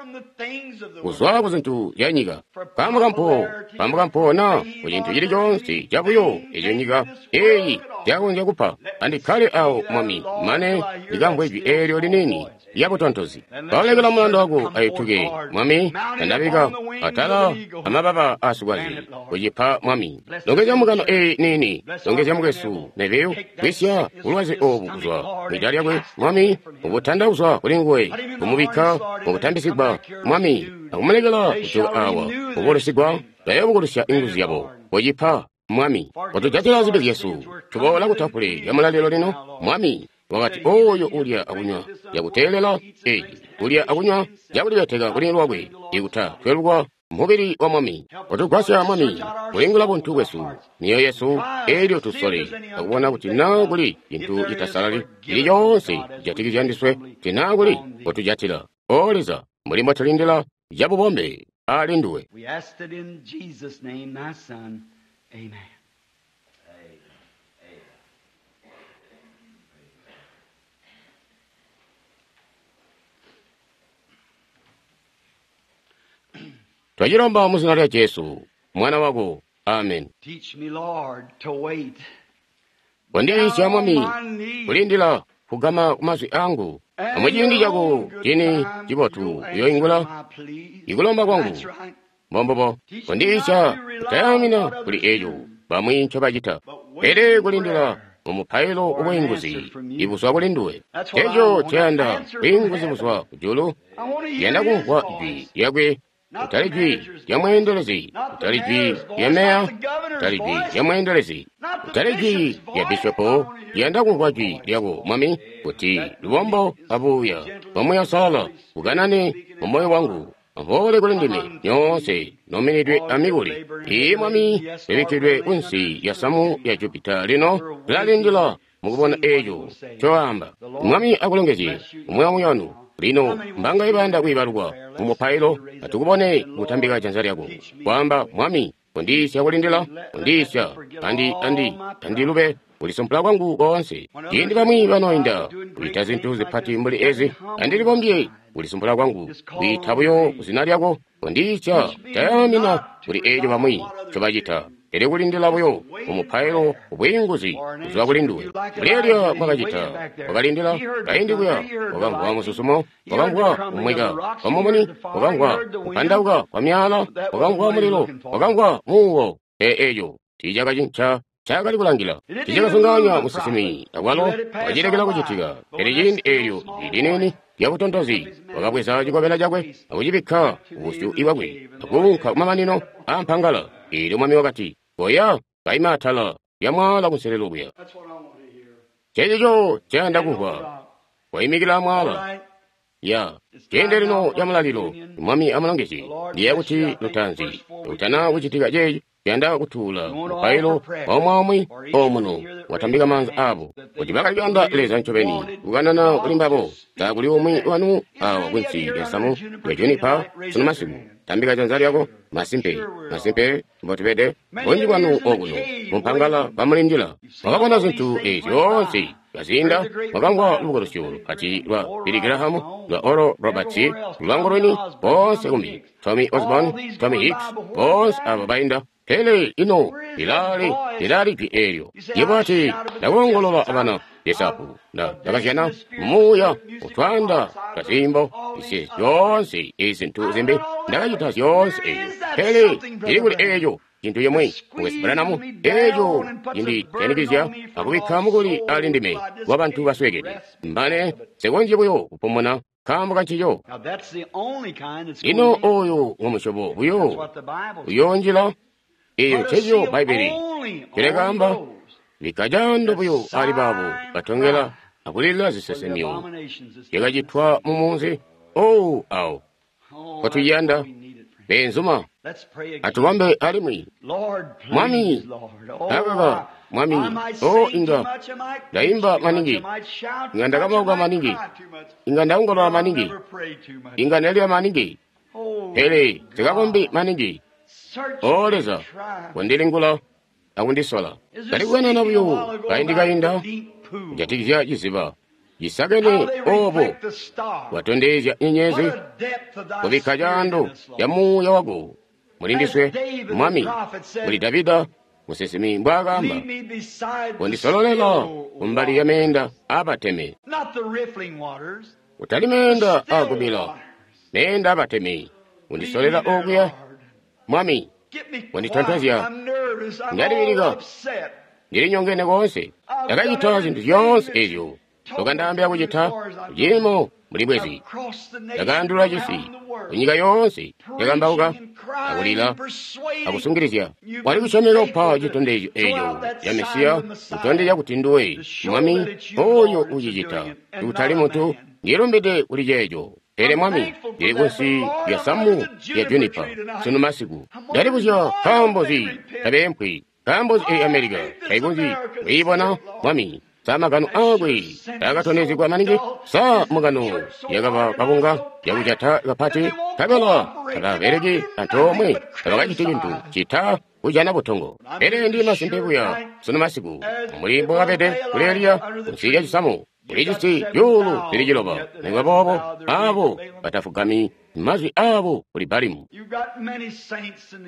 kuzwa ku zintu zya nyika. Kaambo kampo, kaambo kampo na ku cintu cili coonse cabuyo eco nyika eyi zyakonzya kupa. Andikkale awo, Mwami, mane ndikamvwe jwi eelyo liniini lya butontozi. Baulekela mulando wako ayutuke, Mwami, tandabika atala amababa asikwaze kucipa, Mwami. Longezya mbungano eyi niini, longezya mukwesu Neville, kwisya bulwazi obu kuzwa mwida lyakwe, Mwami, ubutanda kuzwa kuli nguwe, kumubikka mukutambisigwa, Mwami, akumulekela kujoka awa kubulusigwa, bayobukulusya inguzu zyabo kucipa, Mwami. Kotujatila zibi zyesu, tuboola kutafule lya mulalilo lino, Mwami. Wakati oyo ulya akunywa yakuteelela eyi, ulya akunywa yakulibeteka kuli lwakwe, ikuta twelukwa mubili wa Mwami. Kotugwasya, Mwami, kulingula buntu bwesu, myoyo yesu, elyo tusole akubona kuti naa kuli cintu citasalali cili coonse cijatikizya ndiswe, kuti naa kuli kotujatila. O Leza, mbuli mbotulindila cabubombe ali nduwe. We asked it in Jesus' name, thy Son. Amen. Twachilomba mu zina lya Jesu, Mwana wako. Amen. Teach me, Lord, to wait. Kondiyiisya, Mwami, kulindila. kugama ku mazwi angu. Amuciindi cako cini cibotu uyoingula ikulomba kwangu. Mbombubo, kondiisya kutayamina kuli eco bamwi ncobacita, pele kulindila mu mupailo ubwiinguzi ibuzwa kuli nduwe. Eco nceyanda, bwiinguzi buzwa kujulu. Yanda kumvwa jwi lyakwe, kutali jwi lya mweendelezi, kutali jwi lya meya, kutali jwi lya mweendelezi, kutali jwi lya bishopo. Yanda kumvwa jwi lyako, Mwami, kuti lubombo abuuya bwa Muuya Uusalala bukanane mu moyo wangu. Amboole kuli ndime nyoonse nominidwe amikuli. Iyi Mwami, ibikkidwe kunsi lya samu lya Jupita lino tulalindila mukubona eco ncoamba. Mwami akulongezye umwi aumwi wanu. Lino mbanga ibanda kwiibalukwa mu mupailo, atukubone kutambika janza lyako kwaamba, Mwami, kondiisya kulindila, kondiisya andi andi andilube kulisumpula kwangu koonse. Ciindi bamwi banoinda kuita zintu zipati mbuli ezi, andilibombye kulisumpula kwangu, kwiita buyo kuzina lyako. Kondiisya tayamina kuli eco bamwi ncobacita, pele kulindila buyo mu mupailo ubwiinguzi kuzwa kuli nduwe. Kuleelya mwakacita, wakalindila kaindi kuya, wakamvwa mususumo, wakamvwa kumweka kwa mumuni, wakamvwa kupandauka kwa myaala, wakamvwa mulilo, wakamvwa muuwo. Pele eco tiicakacinca cakali kulangila, tiicakasunganya musinsimi akwalo wacilekela kucitika. Pele ciindi eelyo liniini lyabutontozi wakabweza cikobela cakwe akucibikka kubusyu bwakwe akuunka kumamanino aampangala. Eelyo Mwami wakati, koya kaima atala lya mwaala kunselelo kuya. Cecico nceyanda kumvwa, waimikila mwaala. Ya ciindi lino ca mulalilo, Mwami amulongezye. Ndiyeeya kuti lutaanzi lutana kucitika ceeci, tuyanda kutuula mupailo waumwaumwi omuno watambika maanza abo kuti bakaliyanda Leza ncobeni kukanana kuli mbabo. Takuli umwi wanu awa kunsi lya samu lya junipa sunu masiku, tambika janza lyako. Masimpe, masimpe mbotubede bunji bwanu okuno mumpangala bamulindila. Mwakabona zintu ezi zyoonse kazinda, mwakamvwa lubukulusyo lupati lwa Billy Graham, lwa Oral Roberts, lwangu lwini, boonse kumbi Tommy Osborne, Tommy Hicks, boonse abo bainda. Pele ino lilali lilali jwi eelyo. Yebo ati ndakuongolola abana Yesapu nda ndakazyana muuya utwanda twazimbo isi zyoonse izintu zimbi ndakacita zyoonse eyo. Pele ili kuli eeyo cintu cimwe Mukwesu Branham eeco cinditenikizya akubikka mukuli ali ndime wa bantu basweekede mbane nsikonzyi buyo kupumuna nkaambo kancico. Lino oyo ng'omusyobo buyo uyoonjila eyo ncencico Bbaibbele cilekaamba, bikka caando buyo ali baabo batongela akulilila zisesemyo zyakacitwa mu munzi owu awo. Kotuyanda beenzuma, atubambe alimwi. Mwami, akaka Mwami, o inga ndaimba maningi, inga ndakamauka maningi, inga ndaongolola maningi, inga ndalila maningi, pele sikakombi maningi. O Leza, kondilingula akundisola. Ndalikukanana buyo kaindi kainda kujatikizya ciziba cisakene obo watondezya nyenyezi, kubikka caando ca muuya wako mulindiswe. Mwami, muli Davida musinsimi mbwaakaamba, kondisololela kumbali ya meenda aabateme, kutali meenda aakubila, meenda aabateme. Kundisolela okuya, Mwami, konditontozya. Ndalibilika, ndilinyongene koonse. Ndakacita zintu zyoonse ezyo wakandaambila kucita kuciimo muli bwezi. Ndakaandula cisi kunyika yoonse, ndakambauka akulila akusungilizya. Wali kusyomeka kupa citondezyo eco ca Mesiya, kutondezya kuti nduwe Mwami oyo ucicita, kutali muntu. Ndilumbide kuli ceeco. Pele Mwami, ndili kunsi lya samu lya junipa sunu masiku. Ndalibuzya nkaambo nzi tabeempwi, nkaambo nzi eyi Amerika taikonzyi kwiibona. Mwami, sa magano aakwe taakatondezegwa maningi? Sa mugano yakaba kabunga yakujata kapati, nkabela tababeleki antoomwe, tabakaciti cintu cita kujana butongo. Pele ndi masimpe buya sunu masiku, mbuli mbwakabede kuli Eliya kunsi lya cisamu, ulijisi zyuulu zili ciloba. Nikuba boobo abo batafugami mazwi abo kuli Balimu.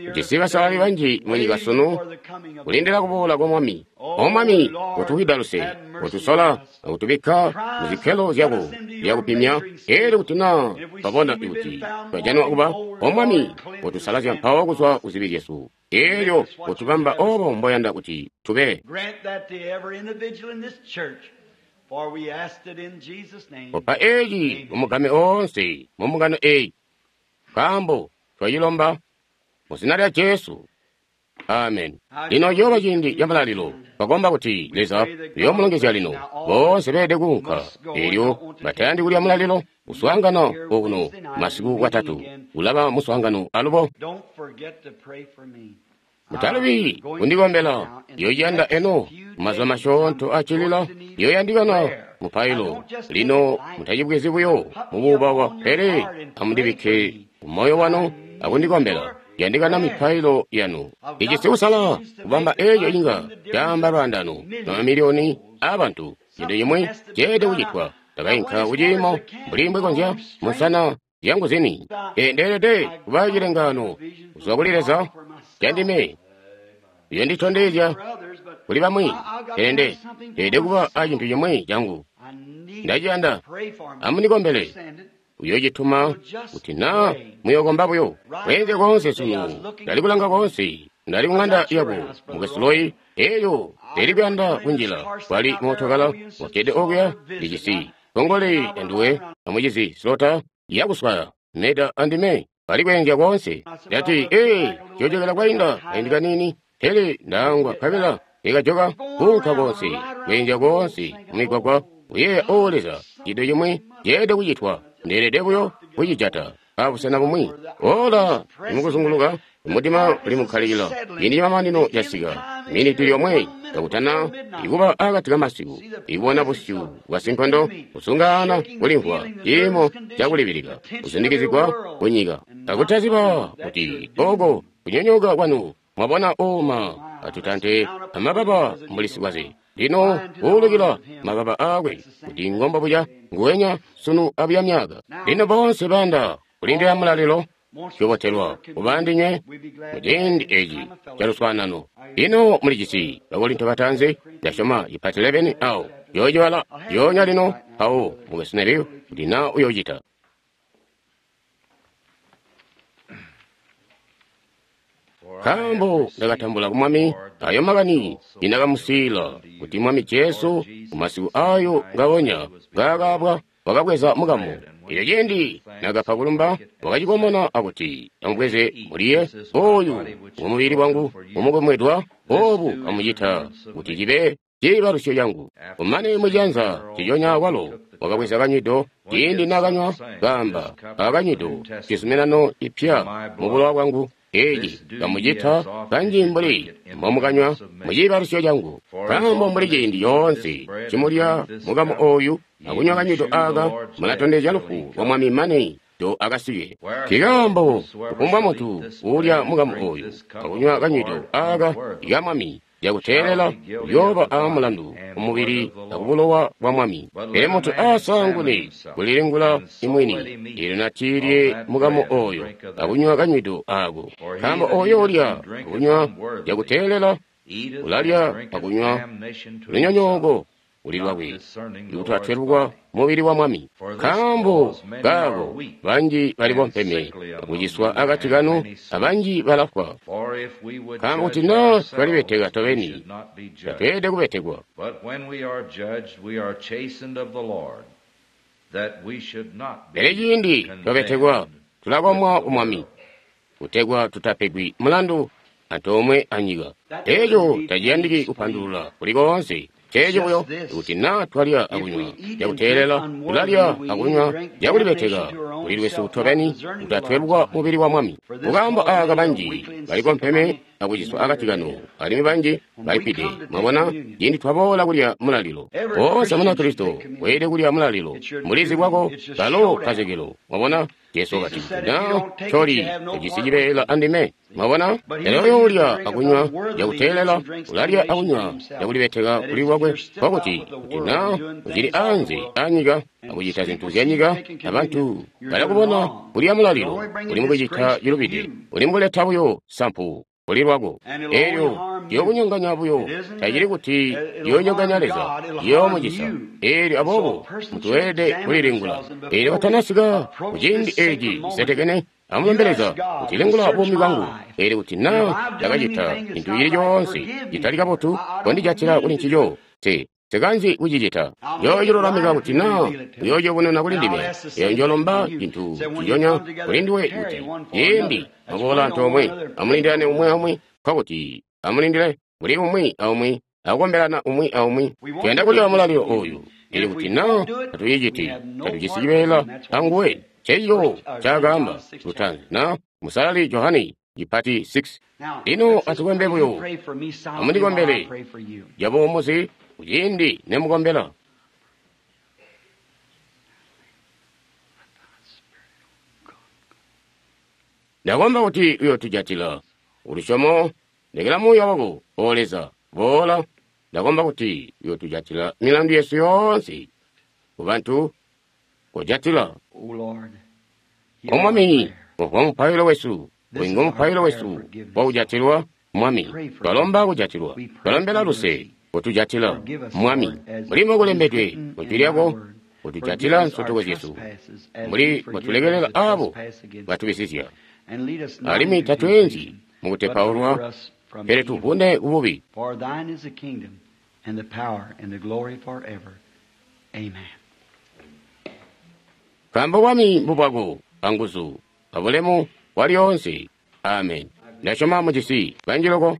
Ujisi basalali banji munyika sunu kulindila kuboola kwa Mwami. O Mwami, utuwida luse, utusola akutubikka muzikkelo zyako zyakupimya. Elyo kuti naa twabona kuti twajanwa kuba, O Mwami, utusalazya mpawo kuzwa kuzibi zyesu. Elyo utubamba obo mboyanda kuti tube. Kopa eci kumugame oonse mu mbungano eyi, nkaambo twacilomba mu zina lya Jesu. Amen. Lino ciyooba ciindi ca mulalilo. Twakomba kuti Leza uyoomulongezya lino. Boonse beelede kuunka. Elyo batayandi kulya mulalilo, kuswaangana okuno masiku watatu ulaba muswaangano alubo. Mutalubi kundikombela. Yoyanda eno mazuba masyoonto acilila yoyandikana mupailo. Lino mutacibwezi buyo mubuubawa, pele amundibikke kumoyo wanu akundikombela. Yandikana mipailo yanu. Ijisi kusala kubamba eco inga caamba lwaandano lwamamiliyoni aabantu. Cintu cimwi ceelede kucitwa. Ndakainka kuciimo mbuli mbwekonzya musana zyangu zini. Ndeelede kuba cilengaano kuzwa kuli Leza candime uyonditondezya kuli bamwi, pele nde ndeelede kuba a cintu cimwi cangu. Ndaciyanda. Amundikombele. Uyocituma kuti naa muyokomba buyo. Kweenzya koonse sunu, ndali kulanga koonse, ndali kuŋanda yako mukwesu Roy, eyo ndeli kuyanda kunjila. Kwali mootokala wakkede okuya ndijisi kongole anduwe amucizi Slota yakuswaya Meda andime bali kweenzya koonse. Ndati, ee, ciyojokela kwainda kaindi kaniini, pele ndaangwa nkabela ikajoka kuunka koonse, kweenzya koonse mumigwagwa. Uyeeya, O Leza, cintu cimwi ceelede kucitwa. Ndeelede buyo kucijata abusena bumwi. Ola limukuzunguluka, mudima ulimukkalikila. Ciindi camamanino casika, miniti lyomwe kakutana ikuba akati kamasiku, ikubona busyu bwa sinkondo, kusungaana kulimvwa ciimo cakulibilika, kusindikizigwa kunyika, akutaziba kuti oko kunyonyoka kwanu. Mwabona oma atutante amababa mbuli sikwaze. Lino kuulukila mababa aakwe kuti ngombo buya nguwenya sunu abuya myaka. Lino boonse banda kulindila mulalilo tuyobotelwa kuba ndinywe muciindi eci caluswaanano. Lino mulijisi Bakorinto batanzi, ndasyoma ipati eleveni awo yoocibala yoonya lino mpawo mukwesu Neville kuti naa uyoocita. Nkaambo ndakatambula ku Mwami ayo makani nindakamusiila kuti Mwami Jesu kumasiku ayo ngawonya ngaakaabwa wakabweza mukamu. Elyo ciindi nakapa kulumba wakacikomona akuti, amubweze muliye, oyu ngomubili wangu umukomwedwa, obu amucita kuti cibe ciibalusyo cangu. Kumane mucianza ciconya walo wakabweza kanywido, ciindi nakanywa kaamba, akanywido cizuminano cipya mubulowa bwangu. Eci kamucita kanji mbuli mbomukanywa muciibalusyo cangu. Nkaambo mbuli ciindi coonse cimulya mukamu oyu akunywa kanywido aka, mulatondezya lufu lwa Mwami mane do akasike. Nkaambo kufumbwa muntu uulya mukamu oyu akunywa kanywido aka ka Mwami cakuteelela uyooba aamulandu kumubili akubulowa bwa Mwami. Pele muntu asaangune kulilingula imwini, eelyo natiilye mukamu oyo akunywa kanywido ako. Nkaambo oyo ulya akunywa cakuteelela ulalya akunywa lunyonyooko uli lwakwe, ikuti atwelukwa mubili wa Mwami. Nkaambo kaako banji bali bompeme akuciswa akati kanu, abanji balafwa. Nkaambo kuti naa twalibeteka tobeni, tatweelede kubetekwa. Pele ciindi twabetekwa, tulakomwa ku Mwami, kutegwa tutapegwi mulandu antoomwe anyika. Eeco taciyandiki kupandulula kuli koonse. Ceeci buyo kuti naa twalya akunywa cakuteelela, tulalya akunywa cakulibeteka kuli lwesu tobeni, kuti atwelukwa mubili wa Mwami. Mukaambo aaka banji balikompeme akuciswa akati kanu, alimwi banji balifwide. Mwabona, ciindi twaboola kulya mulalilo, woonse Munakristo weelede kulya mulalilo. Mulizi bwako kalo kazekelo. Mwabona, Jesu wakati, naa toli ujisi cibeela andime. Mwabona, pele oyo ulya akunywa cakuteelela ulalya akunywa cakulibeteka kuli lwakwe, nkokuti kuti naa ucili anze anyika akucita zintu zyanyika, abantu balakubona kulya mulalilo uli mukucita cilubide, uli mukuleta buyo sampu kuli lwako. Elyo ciyokunyonganya buyo, tacili kuti ciyoonyonganya Leza, ciyoomucisa. Elyo aboobo muntu weelede kulilingula. Elyo katanasika kuciindi eci cisetekene, amulombe Leza kuti lingula buumi bwangu. Elyo kuti naa ndakacita cintu cili coonse citali kabotu, kondijatila kuli ncico. Te nsikanzi kucicita. Njoocilulamika kuti naa uyoociyubununa kuli ndime. Eyo njoolomba cintu nciconya kuli nduwe kuti ciindi mwaboola antoomwe amulindilane umwi aumwi, nkokuti amulindile kuli umwi aumwi akukombelana umwi aumwi. Tuyanda kulya mulalilo oyu. Elyo kuti naa tatuciciti, tatujisi cibeela anguwe. Ncencico ncaakaamba lutaanzi na Musalali Johane cipati six. Lino atukombe buyo. Amundikombele cabuumuzi kuciindi nemukombela. Ndakomba kuti uyootujatila ulusyomo, lekela muuya wako, O Leza, boola. Ndakomba kuti uyootujatila milandu yesu yoonse kubantu, kojatila. O Lord, O Mwami, umvwa mupailo wesu, uyu ngo mupailo wesu wakujatilwa. Mwami, twalomba kujatilwa, twalombela luse, kutujatila. Mwami, mbuli mbokulembedwe mu Jwi lyako, kutujatila nsotoko zyesu, mbuli bwatulekelela abo batubisizya. Alimwi tatweenzyi mukutepaulwa, pele tuvune kububi. For thine is the kingdom and the power and the glory forever. Amen. Nkaambo bwami mbubwako, anguzu, abulemu bwalyoonse. Amen. Ndasyoma mujisi banji loko.